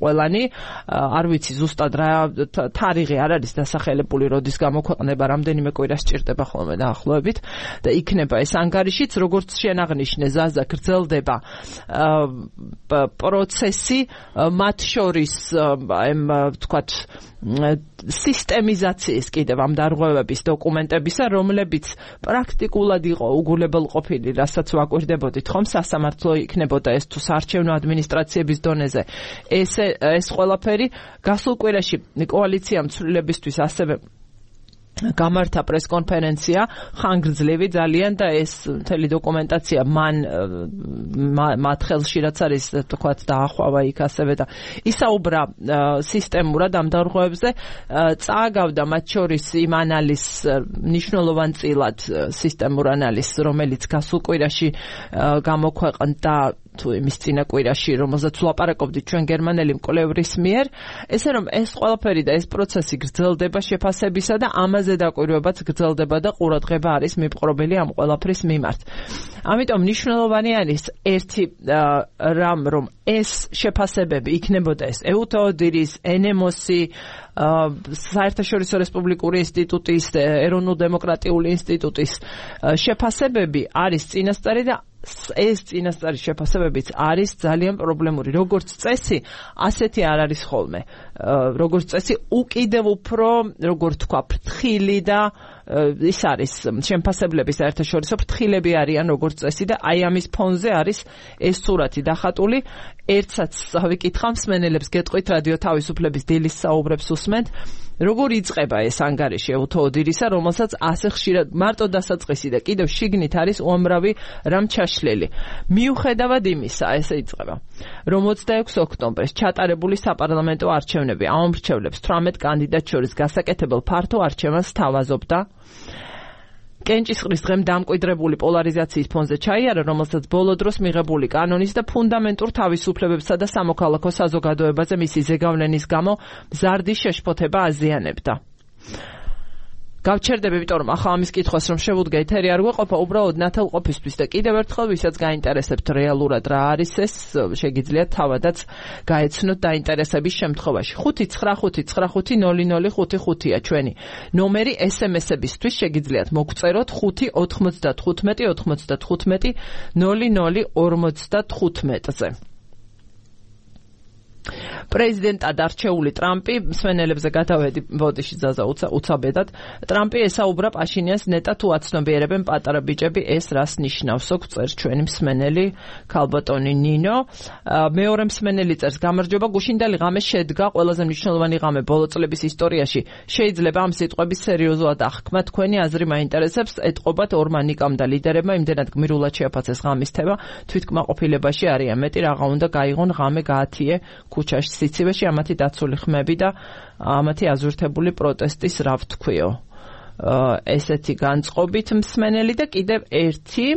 ყველანი, არ ვიცი ზუსტად რა თარიღი არ არის დასახელებული, როდის გამოქვეყნება, რამდენიმე კვირა სჭირდება ხოლმე დაახლოებით და იქნება ეს ანგარიშიც, როგორც შეანაღნიშნე ზაზა გრძელდება პროცესი, მათ შორის ამ თქვათ სისტემიზაციის კიდევ ამ დარღვევების დოკუმენტებისა, რომლებიც პრაქტიკულად იყო უგულებელყოფილი, რასაც ვაკვირდებოდით ხომ, სასამართლო იქნებოდა ეს თუ საარჩევნო ადმინისტრაციების დონეზე. ეს ეს ყველაფერი გასულ კვირაში კოალიციამ ცვლილებისთვის ასევე გამართა პრესკონფერენცია, ხანგრძლივი ძალიან და ეს მთელი დოკუმენტაცია მან მათ ხელში რაც არის თქვათ დაახვავა იქ ასევე და ისაუბრა სისტემურად ამ დარღვევებზე, წააგავდა მათ შორის იმ ანალიზს, მნიშვნელოვან წილად სისტემურ ანალიზს, რომელიც გასულ კვირაში გამოქვეყნდა თუ იმის წინა კვირაში, რომელზეც ვლაპარაკობდით ჩვენ გერმანელი მკვლევრის მიერ, ესე რომ ეს ყველაფერი და ეს პროცესი გრძელდება შეფასებისა და ამაზე დაკვირვებაც გრძელდება და ყურადღება არის მიპყრობილი ამ ყველაფრის მიმართ. ამიტომ მნიშვნელოვანი არის ერთი რამ, რომ ეს შეფასებები იქნებოდა ეს ეუთო ოდირის, ენემოსი, საერთაშორისო რესპუბლიკური ინსტიტუტის, ეროვნულ-დემოკრატიული ინსტიტუტის შეფასებები არის წინასწარი და ეს წინასწარი შეფასებებიც არის ძალიან პრობლემური. როგორც წესი, ასეთი არ არის ხოლმე. როგორც წესი, უკიდევ უფრო, როგორ თქვა, ფრთხილი და ის არის შემფასებლების საერთაშორისო ფრთხილები არიან როგორც წესი და აი ამის ფონზე არის ეს სურათი დახატული. ერთსაც ვიკითხავ მსმენელებს, გეტყვით რადიო თავისუფლების დილის საუბრებს უსმენთ, როგორ იწყება ეს ანგარიში ეუთო ოდირისა, რომელსაც ასე ხშირად მარტო დასაწყისი და კიდევ შიგნით არის უამრავი რამ ჩაშლილი. მიუხედავად იმისა, ესე იწყება, რომ ოცდაექვსი ოქტომბერს ჩატარებული საპარლამენტო არჩევნები აუმრჩევლებს თვრამეტ კანდიდატს შორის გასაკეთებელ ფართო არჩევანს თავაზობდა. კენჭისყრის დღემ დამკვიდრებული პოლარიზაციის ფონზე ჩაიარა, რომელსაც ბოლო დროს მიღებული კანონის და ფუნდამენტურ თავისუფლებებსა და სამოქალაქო საზოგადოებაზე მისი ზეგავლენის გამო მზარდი შეშფოთება აზიანებდა. გავჩერდები, იმიტომ რომ ახლა ამის კითხვას რომ შევუდგე ეთერი არ გვეყოფა, უბრალოდ ნათელყოფისთვის და კიდევ ერთხელ ვისაც გაინტერესებთ რეალურად რა არის ეს, შეგიძლიათ თავადაც გაეცნოთ დაინტერესების შემთხვევაში. ხუთი ცხრა ხუთი ცხრა ხუთი ნული ნული ხუთი ხუთია ჩვენი ნომერი ესემესებისთვის, შეგიძლიათ მოგწეროთ ხუთი ოთხმოცდათხუთმეტი ოთხმოცდათხუთმეტი ნული ნული ორმოცდათხუთმეტზე. პრეზიდენტად არჩეული ტრამპი, მსმენელებზე გადავედი ბოდიში ზაზა უცაბედად, ტრამპი ესაუბრა პაშინიანს, ნეტა თუ აცნობიერებენ პატარა ბიჭები, ეს რას ნიშნავსო, წერს ჩვენი მსმენელი ქალბატონი ნინო. მეორე მსმენელი წერს, გამარჯობა, გუშინდელი ღამე შედგა ყველაზე მნიშვნელოვანი ღამე ბოლო წლების ისტორიაში. შეიძლება ამ სიტყვების სერიოზულად აღქმა, თქვენი აზრი მაინტერესებს, ეტყობათ ორმა ნიკამ და ლიდერებმა იმდენად გმირულად შეაფასეს ღამის თემა, თვითკმაყოფილებაში არიან, მეტი რაღა უნდა გაიღონ, ღამე გაათიე ქუჩაში სიცივეში, ამათი დაცული ხმები და ამათი აზურთებული პროტესტის რა ვთქვიო. ესეთი განწყობით მსმენელი და კიდევ ერთი,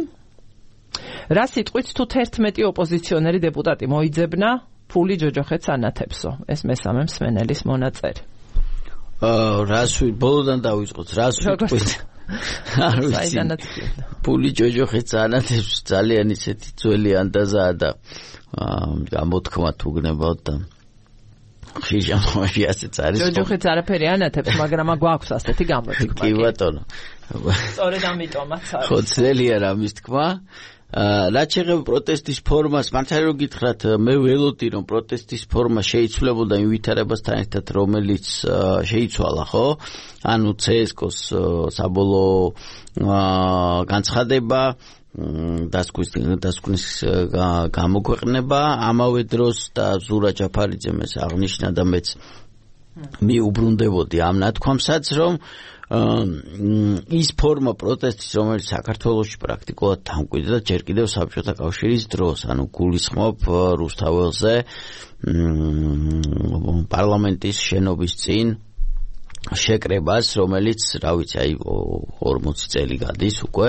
რა სიტყვით თუ თერთმეტი ოპოზიციონერი დეპუტატი მოიძებნა, ფული ჯოჯოხეთს ანათებსო. ეს მესამე მსმენელის მონაწერი. რას ბოლოდან დავიწყოთ, რას ვიტყვით? არ ვიცი. ფული ჯოჯოხეთს ანათებს, ძალიან ისეთი ძველი ანდაზაა და გამოთქმა თუ გნებავთ და ხშირ შემთხვევაში ასეც არის. ჯოჯოხეთს არაფერი ანათებს, მაგრამ გვაქვს ასეთი გამოთქმა. კი ბატონო. სწორედ ამიტომაც არის. ხო, ძნელია რამის თქმა. რაც შეეხება პროტესტის ფორმას, მართალი რომ გითხრათ, მე ველოდი რომ პროტესტის ფორმა შეიცვლებოდა იმ ვითარებასთან ერთად, რომელიც შეიცვალა, ხო? ანუ ცე-ეს-კოს საბოლოო განცხადება, დასკვნის გამოქვეყნება, ამავე დროს და ზურა ჯაფარიძემ ეს აღნიშნა და მეც მიუბრუნდებოდი ამ ნათქვამსაც, რომ ის ფორმა პროტესტის, რომელიც საქართველოში პრაქტიკულად დამკვიდრდა ჯერ კიდევ საბჭოთა კავშირის დროს, ანუ გულისხმობ რუსთაველზე პარლამენტის შენობის წინ შეკრებას, რომელიც, რა ვიცი, აი ორმოცი წელი გადის უკვე,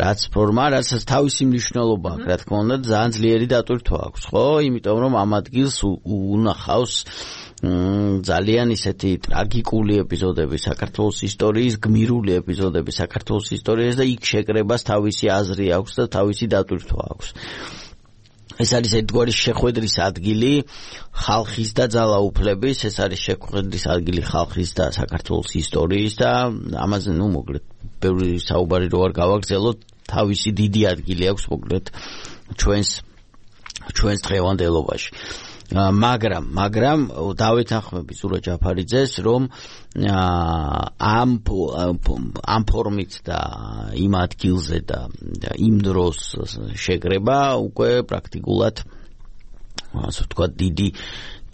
რაც ფორმა, რაც თავისი მნიშვნელობა აქვს, რა თქმა უნდა, ძალიან ძლიერი დატვირთვა აქვს, ხო? იმიტომ რომ ამ ადგილს უნახავს ძალიან ისეთი ტრაგიკული ეპიზოდები საქართველოს ისტორიის, გმირული ეპიზოდები საქართველოს ისტორიის და იქ შეკრებას თავისი აზრი აქვს და თავისი დატვირთვა აქვს. ეს არის ერთგვარი შეხვედრის ადგილი ხალხის და ძალაუფლების, ეს არის შეხვედრის ადგილი ხალხის და საქართველოს ისტორიის და ამაზე, ნუ მოკლედ, ბევრი საუბარი რო არ გავაგრძელოთ, თავისი დიდი ადგილი აქვს მოკლედ ჩვენს ჩვენს დღევანდელობაში. მაგრამ, მაგრამ დავეთანხმები ზურა ჯაფარიძეს, რომ ამ ამ ფორმით და იმ ადგილზე და იმ დროს შეკრება უკვე პრაქტიკულად ასე ვთქვათ დიდი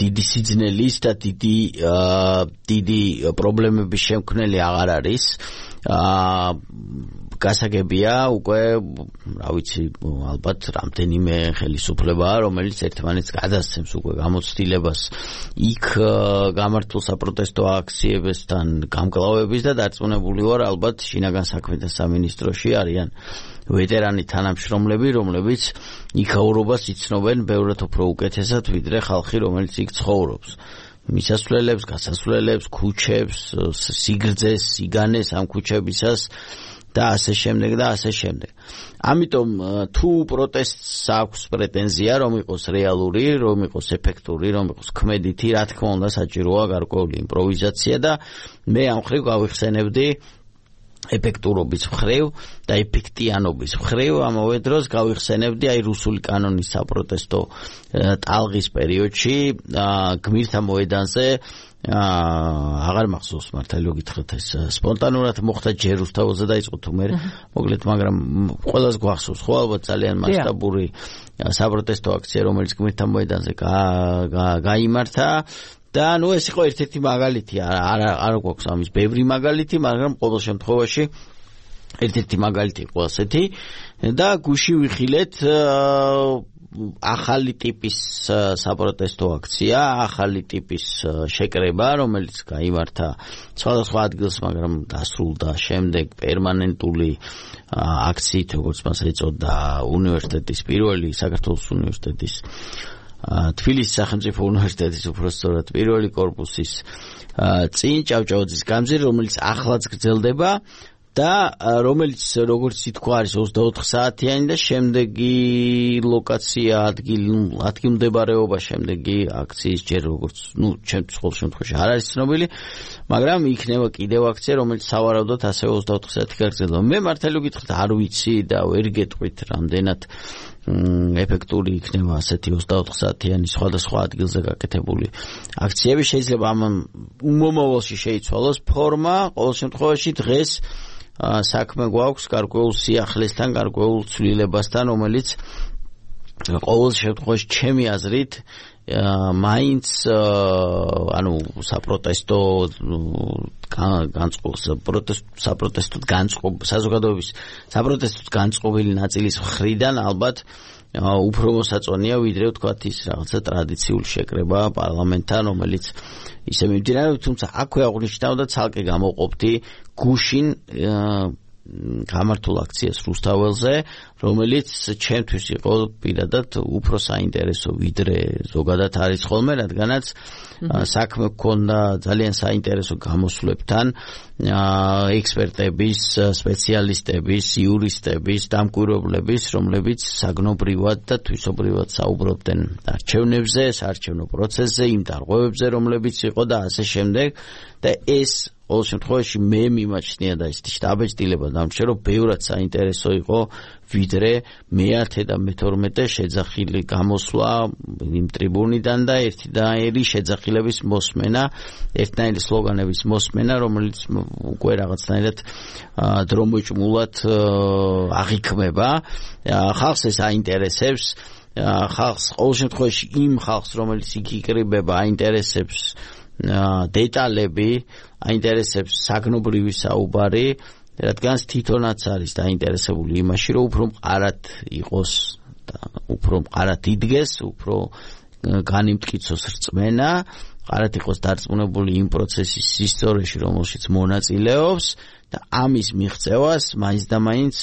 დიდი სიძნელის და დიდი დიდი პრობლემების შემქმნელი აღარ არის. აა გასაგებია უკვე, რა ვიცი, ალბათ რამდენიმე ხელისუფლებაა, რომელიც ერთმანეთს გადასცემს უკვე გამოცდილებას იქ გამართულ საპროტესტო აქციებებთან გამკლავების და დარწმუნებული ვარ, ალბათ შინაგან საქმეთა სამინისტროში არიან ვეტერანი თანამშრომლები, რომლებიც იქაურობას იცნობენ ბევრად უფრო უკეთესად, ვიდრე ხალხი, რომელიც იქ ცხოვრობს. მისასვლელებს, გასასვლელებს, ქუჩებს, სიგრძეს, სიგანეს ამ ქუჩებისას და ასე შემდეგ და ასე შემდეგ. ამიტომ თუ პროტესტს აქვს პრეტენზია, რომ იყოს რეალური, რომ იყოს ეფექტური, რომ იყოს ქმედითი, რა თქმა უნდა საჭიროა გარკვეული იმპროვიზაცია და მე ამ ხრივ გავიხსენებდი ეფექტურობის მხრივ და ეფექტიანობის მხრივ ამავე დროს გავიხსენებდი აი რუსული კანონის საპროტესტო ტალღის პერიოდში გმირთა მოედანზე აღარ მახსოვს მართალი გითხრათ ეს სპონტანურად მოხდა ჯერ რუსთაველზე დაიწყო თუ მე მოკლედ მაგრამ ყველას გვახსოვს ხო ალბათ ძალიან მასშტაბური საპროტესტო აქცია რომელიც გმირთა მოედანზე გაიმართა და ნუ ეს იყო ერთ-ერთი მაგალითი არ არ გვაქვს ამის ბევრი მაგალითი მაგრამ ყოველ შემთხვევაში ერთ-ერთი მაგალითი იყო ასეთი და გუში ვიხილეთ ახალი ტიპის საპროტესტო აქცია, ახალი ტიპის შეკრება, რომელიც გაიმართა სხვადასხვა ადგილს, მაგრამ დასრულდა შემდეგ პერმანენტული აქციით, როგორც მას ეწოდა უნივერსიტეტის პირველი საქართველოს უნივერსიტეტის თბილისის სახელმწიფო უნივერსიტეტის უბრალოდ პირველი კორპუსის წინ ჭავჭავაძის გამზირი, რომელიც ახლაც გრძელდება და რომელიც როგორც ითქვა არის ოცდაოთხ საათიანი და შემდეგი ლოკაცია ადგილი ადგილმდებარეობა შემდეგი აქციის ჯერ როგორც ნუ ჩემთვის ყოველ შემთხვევაში არ არის ცნობილი მაგრამ იქნება კიდევ აქცია რომელიც სავარაუდოდ ასევე ოცდაოთხ საათი გაგრძელდება მე მართალი გითხრათ არ ვიცი და ვერ გეტყვით რამდენად ეფექტური იქნება ასეთი ოცდაოთხ საათიანი სხვადასხვა ადგილზე გაკეთებული აქციები შეიძლება ამ უმომავალში შეიცვალოს ფორმა ყოველ შემთხვევაში დღეს საქმე გვაქვს გარკვეულ სიახლესთან, გარკვეულ ცვლილებასთან, რომელიც ყოველ შემთხვევაში ჩემი აზრით მაინც ანუ საპროტესტო განწყობს საპროტესტოდ განწყობ საზოგადოების საპროტესტოდ განწყობილი ნაწილის მხრიდან ალბათ უფრო მოსაწონია ვიდრე ვთქვათ ის რაღაცა ტრადიციული შეკრება პარლამენტთან, რომელიც ისე მიმდინარეობს, თუმცა აქვე აღნიშნავ და ცალკე გამოყოფდი გუშინ გამართულ აქციას რუსთაველზე, რომელიც ჩემთვის იყო პირადად უფრო საინტერესო ვიდრე ზოგადად არის ხოლმე, რადგანაც საქმე გქონდა ძალიან საინტერესო გამოსვლებთან, ექსპერტების, სპეციალისტების, იურისტების, დამკვირვებლების, რომლებიც საგნობრივად და თვისობრივად საუბრობდნენ არჩევნებზე, საარჩევნო პროცესზე, იმ დარღვევებზე, რომლებიც იყო და ასე შემდეგ და ეს ყოველ შემთხვევაში მე მიმაჩნია და ის შტაბეჭდილება დამრჩა რომ ბევრად საინტერესო იყო ვიდრე მეათე და მეთორმეტე შეძახილი გამოსვლა იმ ტრიბუნიდან და ერთიდაერი შეძახილების მოსმენა, ერთნაირი სლოგანების მოსმენა, რომელიც უკვე რაღაცნაირად დრომოჭმულად აღიქმება. ხალხს ეს აინტერესებს, ხალხს ყოველ შემთხვევაში იმ ხალხს, რომელიც იქ იკრიბება, აინტერესებს დეტალები, აინტერესებს საგნობრივი საუბარი, რადგანაც თვითონაც არის დაინტერესებული იმაში, რომ უფრო მყარად იყოს და უფრო მყარად იდგეს, უფრო განიმტკიცოს რწმენა ყარად იყოს დარწმუნებული იმ პროცესის ისტორიაში, რომელშიც მონაწილეობს და ამის მიღწევას მაინც და მაინც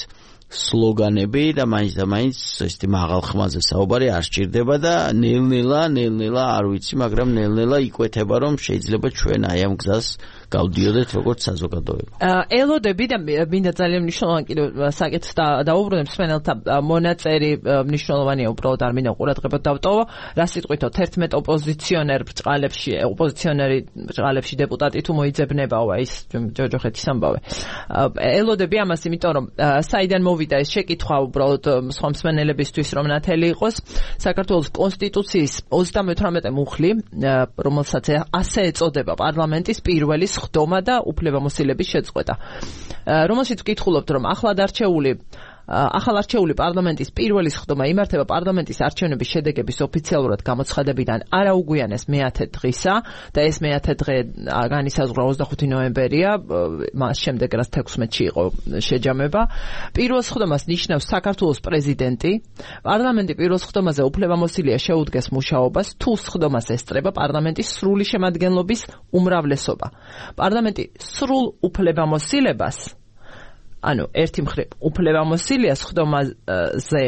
სლოგანები და მაინც და მაინც ესეთი მაღალ ხმაზე საუბარი არ სჭირდება და ნელ-ნელა, ნელ-ნელა არ ვიცი, მაგრამ ნელ-ნელა იკვეთება, რომ შეიძლება ჩვენ აი ამ გზას გავდიოდეთ როგორც საზოგადოება. ელოდები და მინდა ძალიან მნიშვნელოვანი კიდევ საკითხს დაუბრუნებ სვენელთა მონაწერი მნიშვნელოვანია უბრალოდ არ მინდა ყურადღება დავტოვო. რა სიტყვითო თერთმეტ ოპოზიციონერ ბრწყალებში, ოპოზიციონერი ბრწყალებში დეპუტატი თუ მოიძებნებაო ის ჯოჯოხეთის ამბავი. ელოდები ამას იმიტომ რომ საიდან მოვიდა ეს შეკითხვა უბრალოდ სხვა მსმენელებისთვის რომ ნათელი იყოს საქართველოს კონსტიტუციის ოცდამეთვრამეტე მუხლი რომელსაც ასე ეწოდება პარლამენტის პირველი ხდომა და უფლებამოსილების შეწყვეტა. რომელშიც ვკითხულობთ რომ ახლად არჩეული ახალ არჩეული პარლამენტის პირველი ხდომა იმართება პარლამენტის არჩევნების შედეგების ოფიციალურად გამოცხადებიდან არაუგვიანეს მეათე დღისა და ეს მეათე დღე განისაზღვრა ოცდახუთი ნოემბერია, მას შემდეგ რაც თექვსმეტში იყო შეჯამება. პირველ ხდომას ნიშნავს საქართველოს პრეზიდენტი. პარლამენტი პირველ ხდომაზე უფლებამოსილია შეუდგეს მუშაობას, თუ ხდომას ესწრება პარლამენტის სრული შემადგენლობის უმრავლესობა. პარლამენტი სრულ უფლებამოსილებას ანუ ერთი მხრივ უფლებამოსილიას ხდომაზე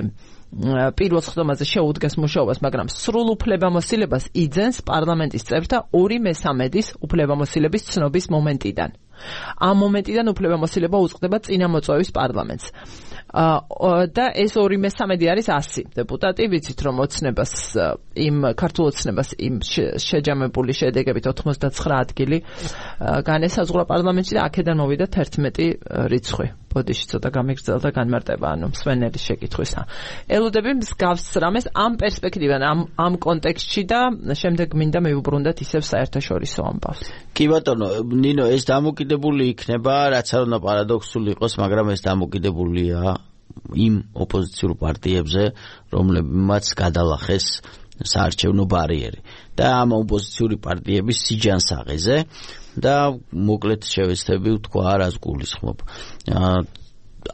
პირველ ხდომაზე შეუდგეს მუშაობას, მაგრამ სრულ უფლებამოსილებას იძენს პარლამენტის წევრთა ორი მესამედის უფლებამოსილების ცნობის მომენტიდან. ამ მომენტიდან უფლებამოსილება უწყდება წინამოწვევის პარლამენტს. და ეს ორი მესამედი არის ასი დეპუტატი, ვიცით რომ ოცნებას იმ ქართულ ოცნებას იმ შეჯამებული შედეგებით ოთხმოცდაცხრა ადგილი განესაზღვრა პარლამენტში და აქედან მოვიდა თერთმეტი რიცხვი. ბოდიში ცოტა გამიგრძელდა განმარტება, ანუ მსვენელის შეკითხვისა. ელოდები მსგავს რამეს ამ პერსპექტივიდან, ამ ამ კონტექსტში და შემდეგ მინდა მივუბრუნდეთ ისევ საერთაშორისო ამბავს. კი ბატონო, ნინო, ეს დამოკიდებული იქნება, რაც არ უნდა პარადოქსული იყოს, მაგრამ ეს დამოკიდებულია იმ ოპოზიციურ პარტიებზე, რომლებმაც გადალახეს საარჩევნო ბარიერი და ამ ოპოზიციური პარტიების სიჯანსაღეზე და მოკლედ შევეცდები ვთქვა რას გულისხმობ.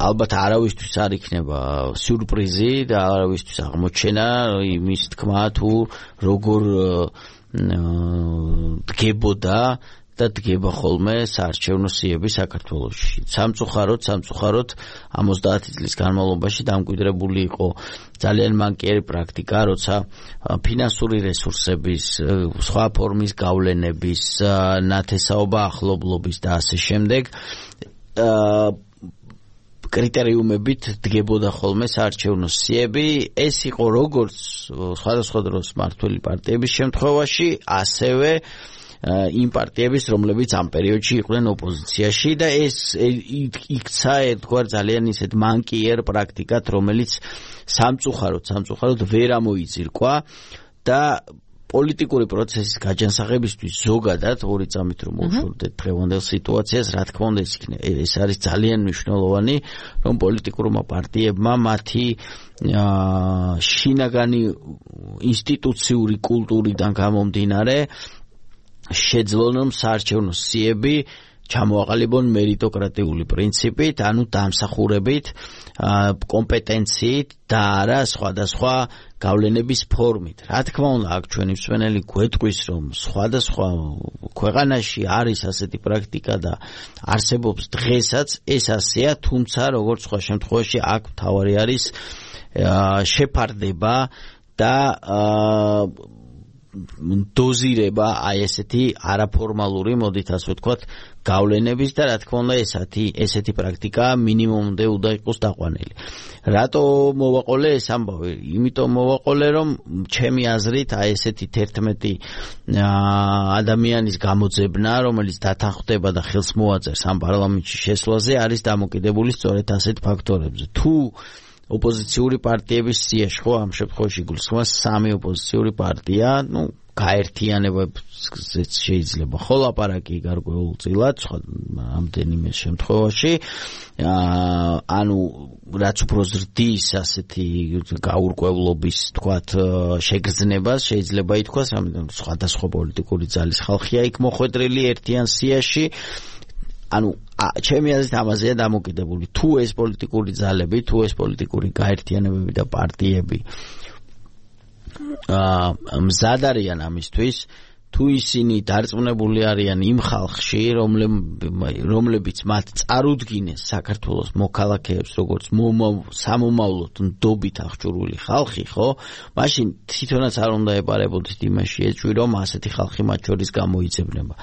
ალბათ არავისთვის არ იქნება სიურპრიზი და არავისთვის აღმოჩენა იმის თქმა თუ როგორ დგებოდა და დგება ხოლმე საარჩევნო სიები საქართველოში. სამწუხაროდ, სამწუხაროდ ამ ოცდაათი წლის განმავლობაში დამკვიდრებული იყო ძალიან მანკიერი პრაქტიკა, როცა ფინანსური რესურსების, სხვა ფორმის გავლენების, ნათესაობა ახლობლობის და ასე შემდეგ კრიტერიუმებით დგებოდა ხოლმე საარჩევნო სიები. ეს იყო როგორც სხვადასხვა დროს მმართველი პარტიების შემთხვევაში, ასევე იმ პარტიების, რომლებიც ამ პერიოდში იყვნენ ოპოზიციაში და ეს იქცა ერთგვარ ძალიან ისეთ მანკიერ პრაქტიკად, რომელიც სამწუხაროდ, სამწუხაროდ ვერ ამოიძირკვა და პოლიტიკური პროცესის გაჯანსაღებისთვის ზოგადად ორი წამით რომ მოვშორდეთ დღევანდელ სიტუაციას, რა თქმა უნდა ეს არის ძალიან მნიშვნელოვანი, რომ პოლიტიკურმა პარტიებმა მათი შინაგანი ინსტიტუციური კულტურიდან გამომდინარე შეძლონ რომ საარჩევნო სიები ჩამოაყალიბონ მერიტოკრატიული პრინციპით, ანუ დამსახურებით, კომპეტენციით და არა სხვადასხვა გავლენების ფორმით. რა თქმა უნდა, აქ ჩვენი მსმენელი გვეტყვის, რომ სხვადასხვა ქვეყანაში არის ასეთი პრაქტიკა და არსებობს დღესაც, ეს ასეა, თუმცა როგორც სხვა შემთხვევაში აქ მთავარი არის შეფარდება და დოზირება აი ესეთი არაფორმალური, მოდით ასე ვთქვათ, გავლენების და რა თქმა უნდა ესეთი ესეთი პრაქტიკა მინიმუმამდე უნდა იყოს დაყვანილი. რატო მოვაყოლე ეს ამბავი? იმიტომ მოვაყოლე, რომ ჩემი აზრით აი ესეთი თერთმეტი ადამიანის გამოძებნა, რომელიც დათანხმდება და ხელს მოაწერს ამ პარლამენტში შესვლაზე, არის დამოკიდებული სწორედ ასეთ ფაქტორებზე. თუ ოპოზიციური პარტიების სიაში, ხო, ამ შემთხვევაში გულისხმობა სამი ოპოზიციური პარტია, ну, გაერთიანებებზეც შეიძლება ხო ლაპარაკი გარკვეულწილად, სხვა ამდენიმე შემთხვევაში, ანუ რაც უფრო ზრდის ასეთი გაურკვევლობის, თქვათ, შეგრძნებას შეიძლება ითქვას, რამე სხვადასხვა პოლიტიკური ძალის ხალხია იქ მოხვედრილი ერთიან სიაში. ანუ ჩემი აზრით ამაზეა დამოკიდებული. თუ ეს პოლიტიკური ძალები, თუ ეს პოლიტიკური გაერთიანებები და პარტიები მზად არიან ამისთვის, თუ ისინი დარწმუნებული არიან იმ ხალხში, რომლებიც მათ წარუდგინეს საქართველოს მოქალაქეებს, როგორც სამომავლოდ ნდობით აღჭურვილი ხალხი, ხო? მაშინ თვითონაც არ უნდა ეპარებოდეთ იმაში ეჭვი, რომ ასეთი ხალხი მათ შორის გამოიძებნება.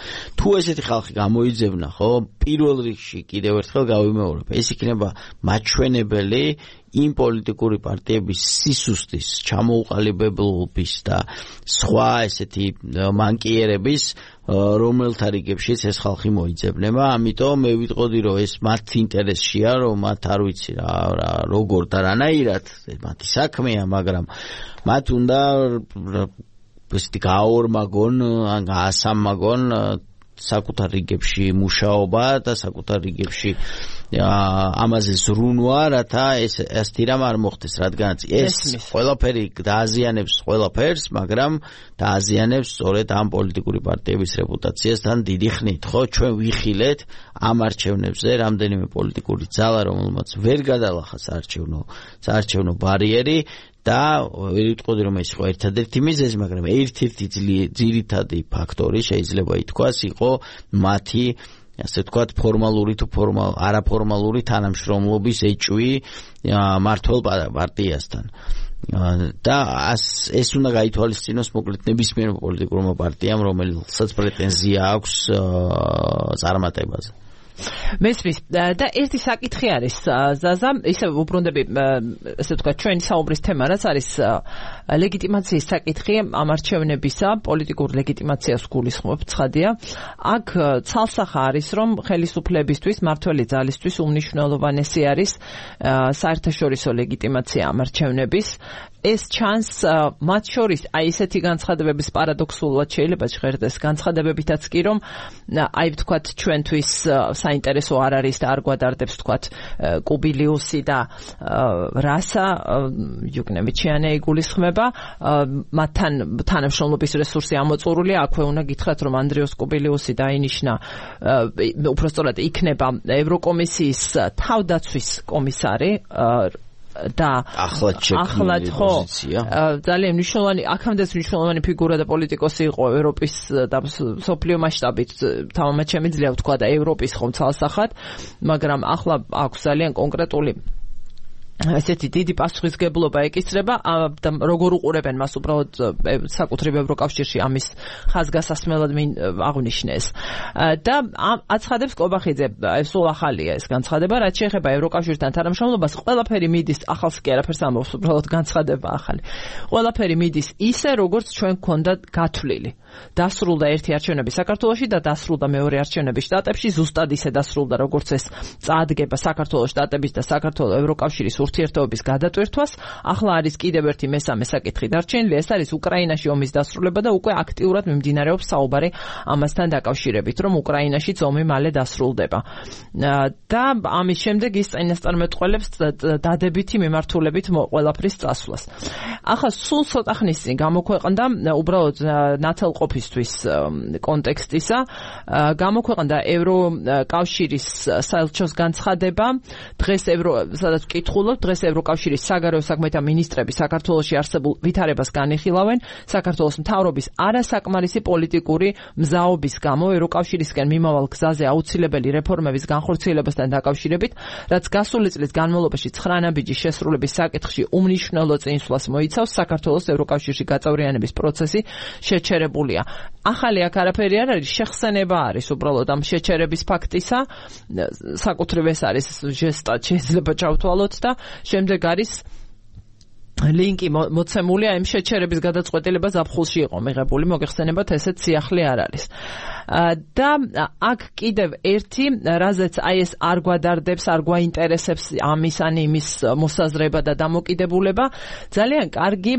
თუ ესეთი ხალხი გამოიძებნა, ხო, პირველ რიგში კიდევ ერთხელ გავიმეორებ, ეს იქნება მაჩვენებელი იმ პოლიტიკური პარტიების სისუსტის, ჩამოუყალიბებლობის და სხვა ესეთი მანკიერების, რომელთა რიგებშიც ეს ხალხი მოიძებნება. ამიტომ მე ვიტყოდი, რომ ეს მათ ინტერესშია, რომ მათ არ ვიცი რა, როგორ და რანაირად მათი საქმეა, მაგრამ მათ უნდა ესეთი გაორმაგონ, ან გაასამაგონ საკუთარ რიგებში მუშაობა და საკუთარ რიგებში ამაზე ზრუნვა, რათა ეს ასეთი რამ არ მოხდეს, რადგანაც ეს ყველაფერი დააზიანებს ყველაფერს, მაგრამ დააზიანებს სწორედ ამ პოლიტიკური პარტიების რეპუტაციას თან დიდი ხნით, ხო? ჩვენ ვიხილეთ ამ არჩევნებზე რამდენიმე პოლიტიკური ძალა, რომელმაც ვერ გადალახა საარჩევნო საარჩევნო ბარიერი და ვიტყოდი, რომ ეს იყო ერთადერთი მიზეზი, მაგრამ ერთ-ერთი ძირითადი ფაქტორი შეიძლება ითქვას იყო მათი, ასე ვთქვათ, ფორმალური თუ ფორმალ არაფორმალური თანამშრომლობის ეჭვი მართლ პარტიასთან. და ეს უნდა გაითვალისწინოს მოკლედ ნებისმიერ პოლიტიკურმა პარტიამ, რომელსაც პრეტენზია აქვს წარმატებაზე. მესმის და ერთი საკითხი არის ზაზა, ისე უბრუნდები, ესე ვთქვათ, ჩვენი საუბრის თემა რაც არის ლეგიტიმაციის საკითხი ამ არჩევნებისა, პოლიტიკურ ლეგიტიმაციას გულისხმობ, ცხადია. აქ ცალსახა არის, რომ ხელისუფლებისთვის, მმართველი ძალისთვის უმნიშვნელოვანესი არის საერთაშორისო ლეგიტიმაცია ამ არჩევნების. ეს ჩანს მათ შორის აი ესეთი განცხადებების პარადოქსულად შეიძლება ჟღერდეს განცხადებებითაც კი, რომ აი ვთქვათ ჩვენთვის საინტერესო არ არის და არ გვადარდებს ვთქვათ კუბილიუსი და რასა იუკნევიჩიანი იგულისხმება, მათთან თანამშრომლობის რესურსი ამოწურულია. აქვე უნდა გითხრათ, რომ ანდრიოს კუბილიუსი დაინიშნა, უпростоრად იქნება ევროკომისიის თავდაცვის კომისარი და ახლად შექმნილი პოზიცია. ძალიან მნიშვნელოვანი, აქამდეც მნიშვნელოვანი ფიგურა და პოლიტიკოსი იყო ევროპის და სოფლიო მასშტაბით, თამამად შემიძლია ვთქვა და ევროპის ხომ ცალსახად, მაგრამ ახლა აქვს ძალიან კონკრეტული ესეთი დიდი პასუხისგებლობა ეკისრება და როგორ უყურებენ მას უბრალოდ საკუთრივ ევროკავშირში ამის ხაზგასასმელად აღნიშნეს. და აცხადებს კობახიძე, სულ ახალია ეს განცხადება, რაც შეეხება ევროკავშირთან თანამშრომლობას, ყველაფერი მიდის, ახალს კი არაფერს ამბობს, უბრალოდ განცხადება ახალი. ყველაფერი მიდის ისე, როგორც ჩვენ გქონდა გათვლილი. დასრულდა ერთი არჩევნები საქართველოში და დასრულდა მეორე არჩევნები შტატებში, ზუსტად ისე დასრულდა, როგორც ეს წაადგება საქართველოს შტატების და საქართველოს ევროკავშირის ურთიერთობების გადატვირთვას. ახლა არის კიდევ ერთი მესამე საკითხი დარჩენილი, ეს არის უკრაინაში ომის დასრულება და უკვე აქტიურად მიმდინარეობს საუბარი ამასთან დაკავშირებით, რომ უკრაინაშიც ომი მალე დასრულდება. და ამის შემდეგ ის წინასწარმეტყველებს დადებითი მიმართულებით ყველაფრის წასვლას. ახლა სულ ცოტა ხნის წინ გამოქვეყნდა უბრალოდ ნათელყოფისთვის კონტექსტისა, გამოქვეყნდა ევროკავშირის საელჩოს განცხადება, დღეს ევრო სადაც ვკითხულობ, დღეს ევროკავშირის საგარეო საქმეთა მინისტრები საქართველოში არსებულ ვითარებას განიხილავენ საქართველოს მთავრობის არასაკმარისი პოლიტიკური მზაობის გამო ევროკავშირისკენ მიმავალ გზაზე აუცილებელი რეფორმების განხორციელებასთან დაკავშირებით, რაც გასული წლის განმავლობაში ცხრა ნაბიჯის შესრულების საკითხში უმნიშვნელო წინსვლას მოიცავს, საქართველოს ევროკავშირში გაწევრიანების პროცესი შეჩერებულია. ახალი აქ არაფერი არ არის, შეხსენება არის უბრალოდ ამ შეჩერების ფაქტისა, საკუთრივ ეს არის ჟესტად შეიძლება ჩავთვალოთ და შემდეგ არის ლინკი მოცემულია იმ შეჩერების გადაწყვეტილება ზაფხულში იყო მიღებული, მოგეხსენებათ, ესეც სიახლე არ არის. და აქ კიდევ ერთი, რაზეც აი ეს არ გვადარდებს, არ გვაინტერესებს ამის ან იმის მოსაზრება და დამოკიდებულება, ძალიან კარგი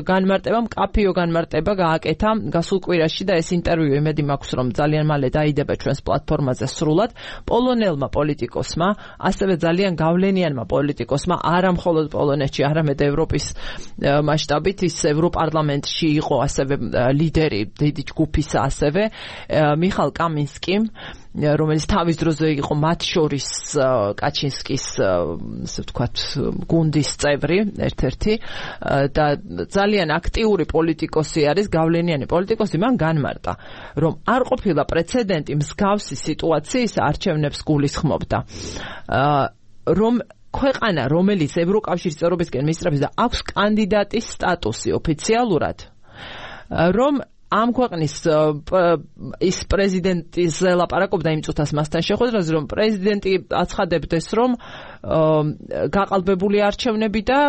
განმარტება, მკაფიო განმარტება გააკეთა გასულ კვირაში და ეს ინტერვიუ იმედი მაქვს, რომ ძალიან მალე დაიდება ჩვენს პლატფორმაზე სრულად პოლონელმა პოლიტიკოსმა, ასევე ძალიან გავლენიანმა პოლიტიკოსმა, არა მხოლოდ პოლონეთში, არამედ ევროპის მასშტაბით, ის ევროპარლამენტში იყო ასევე ლიდერი დიდი ჯგუფისა ასევე მიხალ კამინსკიმ, რომელიც თავის დროზე იყო მათ შორის კაჩინსკის, ასე ვთქვათ, გუნდის წევრი, ერთ-ერთი და ძალიან აქტიური პოლიტიკოსი არის, გავლენიანი პოლიტიკოსი, მან განმარტა, რომ არ ყოფილა პრეცედენტი მსგავსი სიტუაციის არჩევნებს გულისხმობდა. რომ ქვეყანა, რომელიც ევროკავშირის წევრობისკენ მისწრაფის და აქვს კანდიდატის სტატუსი ოფიციალურად, რომ ამ ქვეყნის ის პრეზიდენტის ლაპარაკობდა იმ წუთას მასთან შეხვედრაზე, რომ პრეზიდენტი აცხადებდეს, რომ გაყალბებული არჩევნები და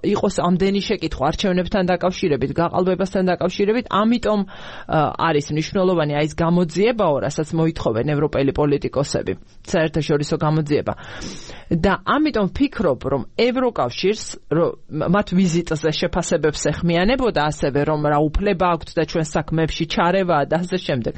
იყოს ამდენი შეკითხვა არჩევნებთან დაკავშირებით, გაყალბებასთან დაკავშირებით, ამიტომ არის მნიშვნელოვანი აი ეს გამოძიებაო, რასაც მოითხოვენ ევროპელი პოლიტიკოსები, საერთაშორისო გამოძიება. და ამიტომ ვფიქრობ, რომ ევროკავშირს მათ ვიზიტზე შეფასებებს ეხმიანებოდა ასევე, რომ რა უფლება აქვთ და ჩვენ საქმეებში ჩარევაა და ასე შემდეგ.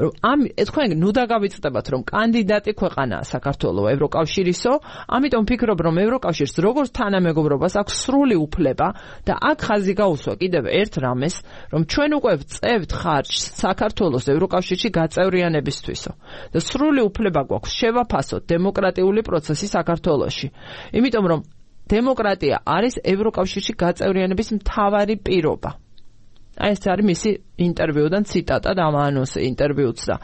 ამ თქვენ ნუ დაგავიწყდებათ, რომ კანდიდატი ქვეყანაა საქართველო ევროკავშირისო, ამიტომ ვფიქრობ, რომ ევროკავშირს როგორც თანამეგობრობას აქვს სრული უფლება და აქ ხაზი გაუსვა კიდევ ერთ რამეს, რომ ჩვენ უკვე ვწევთ ხარჯს საქართველოს ევროკავშირში გაწევრიანებისთვისო და სრული უფლება გვაქვს შევაფასოთ დემოკრატიული პროცესი საქართველოში. იმიტომ რომ დემოკრატია არის ევროკავშირში გაწევრიანების მთავარი პირობა. აი ეს არის მისი ინტერვიუდან ციტატა და ამ ანონსი ინტერვიუც და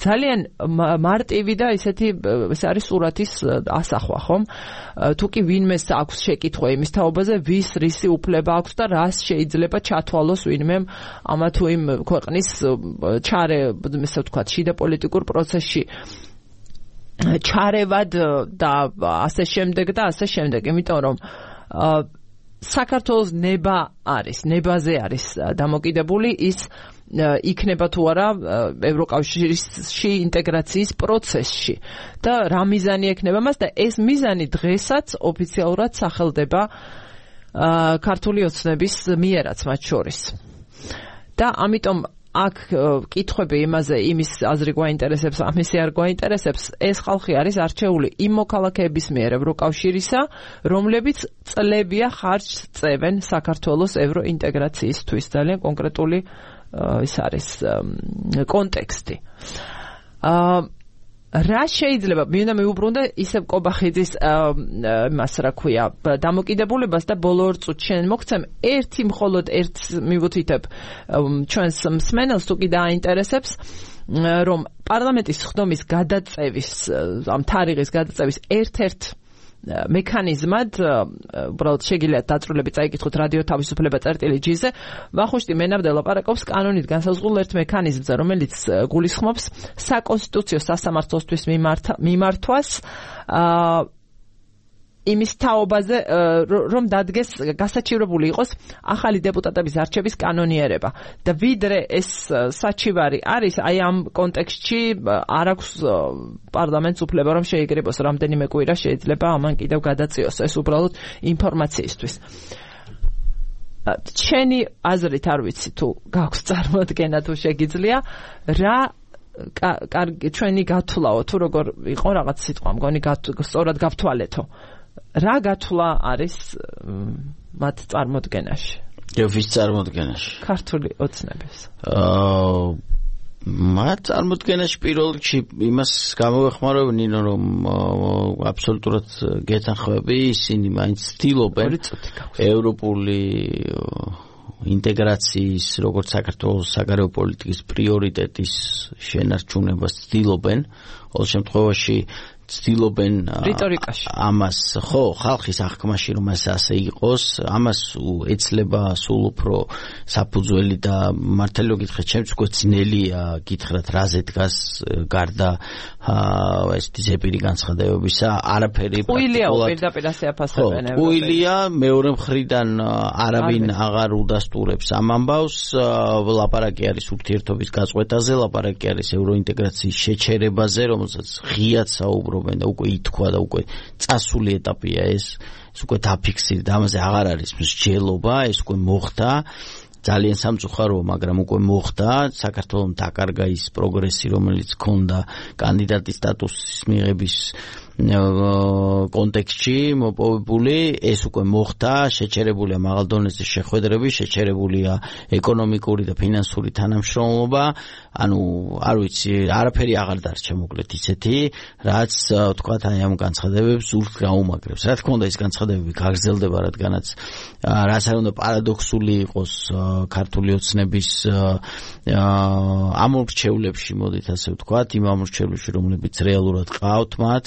ძალიან მარტივი და ისეთი ეს არის სურათის ასახვა, ხომ? თუ კი ვინმეს აქვს შეკითხვა იმის თაობაზე, ვის რისი უფლება აქვს და რას შეიძლება ჩათვალოს ვინმე ამა თუ იმ ქვეყნის ჩარე, ესე ვთქვათ, შიდა პოლიტიკურ პროცესში ჩარევად და ასე შემდეგ და ასე შემდეგ, იმიტომ რომ საქართველოს ნება არის, ნებაზე არის დამოკიდებული ის იქნება თუ არა ევროკავშირში ინტეგრაციის პროცესში და რა მიზანი ექნება მას და ეს მიზანი დღესაც ოფიციალურად სახელდება ქართული ოცნების მიერაც მათ შორის. და ამიტომ აქ კითხვები იმაზე, იმის აზრი გვაინტერესებს, ამისი არ გვაინტერესებს, ეს ხალხი არის არჩეული იმ მოქალაქეების მიერ ევროკავშირისა, რომლებიც წლებია ხარჯს წევენ საქართველოს ევროინტეგრაციისთვის. ძალიან კონკრეტული ის არის კონტექსტი. რა შეიძლება მინდა მიუბრუნდე ისევ კობახიძის მას რა ქვია დამოკიდებულებას და ბოლო ორ წუთში შენ მოგცემ ერთი მხოლოდ ერთ მივუთითებ ჩვენს მსმენელს თუ კი დააინტერესებს რომ პარლამენტის ხდომის გადაწევის ამ თარიღის გადაწევის ერთ-ერთ მექანიზმად უბრალოდ შეგიძლიათ დაწვრილებით წაიკითხოთ რადიო თავისუფლება წერტილი ჯი-ზე ვახუშტი მენაბდა ლაპარაკობს კანონით განსაზღვრულ ერთ მექანიზმზე რომელიც გულისხმობს საკონსტიტუციო სასამართლოსთვის მიმართვას იმის თაობაზე რომ დადგეს გასაჩივრებული იყოს ახალი დეპუტატების არჩევის კანონიერება და ვიდრე ეს საჩივარი არის აი ამ კონტექსტში არ აქვს პარლამენტს უფლება რომ შეიგრებოს რამდენიმე კვირა შეიძლება ამან კიდევ გადაწიოს ეს უბრალოდ ინფორმაციისთვის ჩვენი აზრით არ ვიცი თუ გაქვს წარმოდგენა თუ შეგიძლია რა კარგი ჩვენი გათვლაო თუ როგორ იყო რაღაც სიტყვა მგონი სწორად გავთვალეთო რა გათვლა არის მათ წარმოდგენაში? ვის წარმოდგენაში? ქართული ოცნების. აა მათ წარმოდგენაში პირველ რიგში იმას გამოვეხმარო ნინო რომ აბსოლუტურად გეთანხმები ისინი მაინც ცდილობენ ევროპული ინტეგრაციის როგორც საქართველოს საგარეო პოლიტიკის პრიორიტეტის შენარჩუნებას ცდილობენ ყოველ შემთხვევაში ცდილობენ ამას ხო ხალხის აღქმაში რომ ეს ასე იყოს ამას ეცლება სულ უფრო საფუძველი და მართალი რომ გითხრათ ჩემს უკვე ძნელია გითხრათ რაზე დგას გარდა ეს ზეპირი განცხადებებისა არაფერი უილია პირდაპირ ასე აფასებენ უილია მეორე მხრიდან არავინ აღარ უდასტურებს ამ ამბავს ლაპარაკი არის ურთიერთობის გაწყვეტაზე ლაპარაკი არის ევროინტეგრაციის შეჩერებაზე რომელსაც ღიად საუბრობენ და უკვე ითქვა და უკვე წასული ეტაპია ეს ეს უკვე დაფიქსირდა ამაზე აღარ არის მსჯელობა ეს უკვე მოხდა ძალიან სამწუხაროა, მაგრამ უკვე მოხდა საქართველოს დაკარგა ის პროგრესი, რომელიც ჰქონდა კანდიდატის სტატუსის მიღების კონტექსტში მოპოვებული, ეს უკვე მოხდა, შეჩერებულია მაღალ დონეზე შეხვედრები, შეჩერებულია ეკონომიკური და ფინანსური თანამშრომლობა, ანუ არ ვიცი, არაფერი აღარ დარჩა მოკლედ ისეთი, რაც თქვათ აი ამ განცხადებებს სულს გაუმაგრებს. რა თქმა უნდა, ეს განცხადებები გაგრძელდება, რადგანაც რაც არ უნდა პარადოქსული იყოს ქართული ოცნების ამორჩევლებში, მოდით ასე ვთქვათ, იმ ამორჩევლებში, რომლებიც რეალურად ყავთ მათ,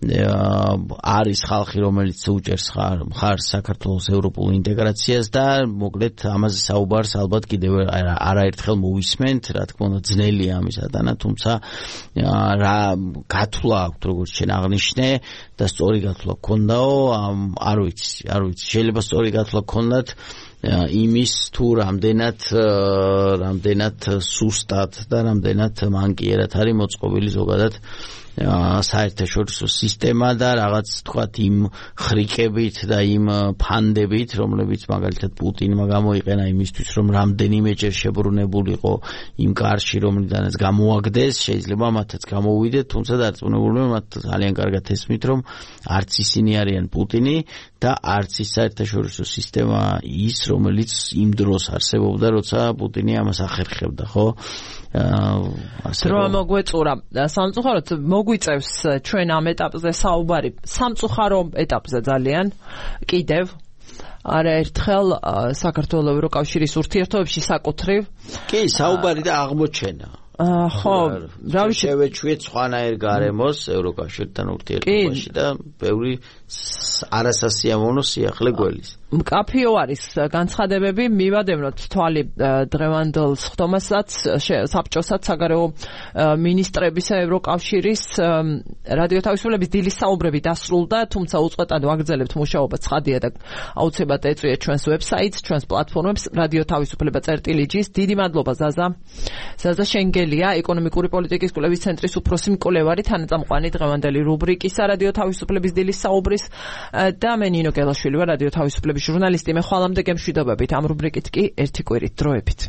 არის ხალხი, რომელიც უჭერს მხარს საქართველოს ევროპულ ინტეგრაციას და მოკლედ ამაზე საუბარს ალბათ კიდევ არაერთხელ მოვისმენთ, რა თქმა უნდა ძნელია ამის ატანა, თუმცა რა გათვლა აქვს, როგორც შენ აღნიშნე და სწორი გათვლა გქონდაო, არ ვიცი, არ ვიცი, შეიძლება სწორი გათვლა გქონდათ იმის თუ რამდენად რამდენად სუსტად და რამდენად მანკიერად არის მოწყობილი ზოგადად საერთაშორისო სისტემა და რაღაც თქვათ იმ ხრიკებით და იმ ფანდებით, რომლებიც მაგალითად პუტინმა გამოიყენა იმისთვის, რომ რამდენიმეჯერ შებრუნებულიყო იმ კარში, რომლიდანაც გამოაგდეს, შეიძლება მათაც გამოვიდეთ, თუმცა დარწმუნებულნი მათ ძალიან კარგად ესმით, რომ არც ისინი არიან პუტინი და არც ის საერთაშორისო სისტემა ის, რომელიც იმ დროს არსებობდა, როცა პუტინი ამას ახერხებდა, ხო? დრო მოგვეწურა სამწუხაროდ მოგვიწევს ჩვენ ამ ეტაპზე საუბარი სამწუხარო ეტაპზე ძალიან კიდევ არაერთხელ საქართველოს ევროკავშირის ურთიერთობებში საკუთრივ კი საუბარი და აღმოჩენა ხო რავი შევეჩვიეთ სხვანაირ გარემოს ევროკავშირთან ურთიერთობაში და ბევრი არასასიამოვნო სიახლე გველის მკაფიო არის განცხადებები მივადევნოთ თვალი დღევანდელ სხდომასაც საბჭოსაც საგარეო მინისტრებისა ევროკავშირის რადიო თავისუფლების დილის საუბრები დასრულდა თუმცა უწყვეტად ვაგრძელებთ მუშაობა ცხადია და აუცილებლად ეწვიეთ ჩვენს ვებსაიტს ჩვენს პლატფორმებს რადიო თავისუფლება წერტილი ჯის დიდი მადლობა ზაზა ზაზა შენგელია ეკონომიკური პოლიტიკის კვლევის ცენტრის უფროსი მკვლევარი თანაწამყვანი დღევანდელი რუბრიკისა რადიო თავისუფლების დილის საუბრის და მე ნინო გელაშვილი ვარ რადიო თავისუფლების ჟურნალისტი მე ხვალამდე გემშვიდობებით ამ რუბრიკით კი ერთი კვირით დროებით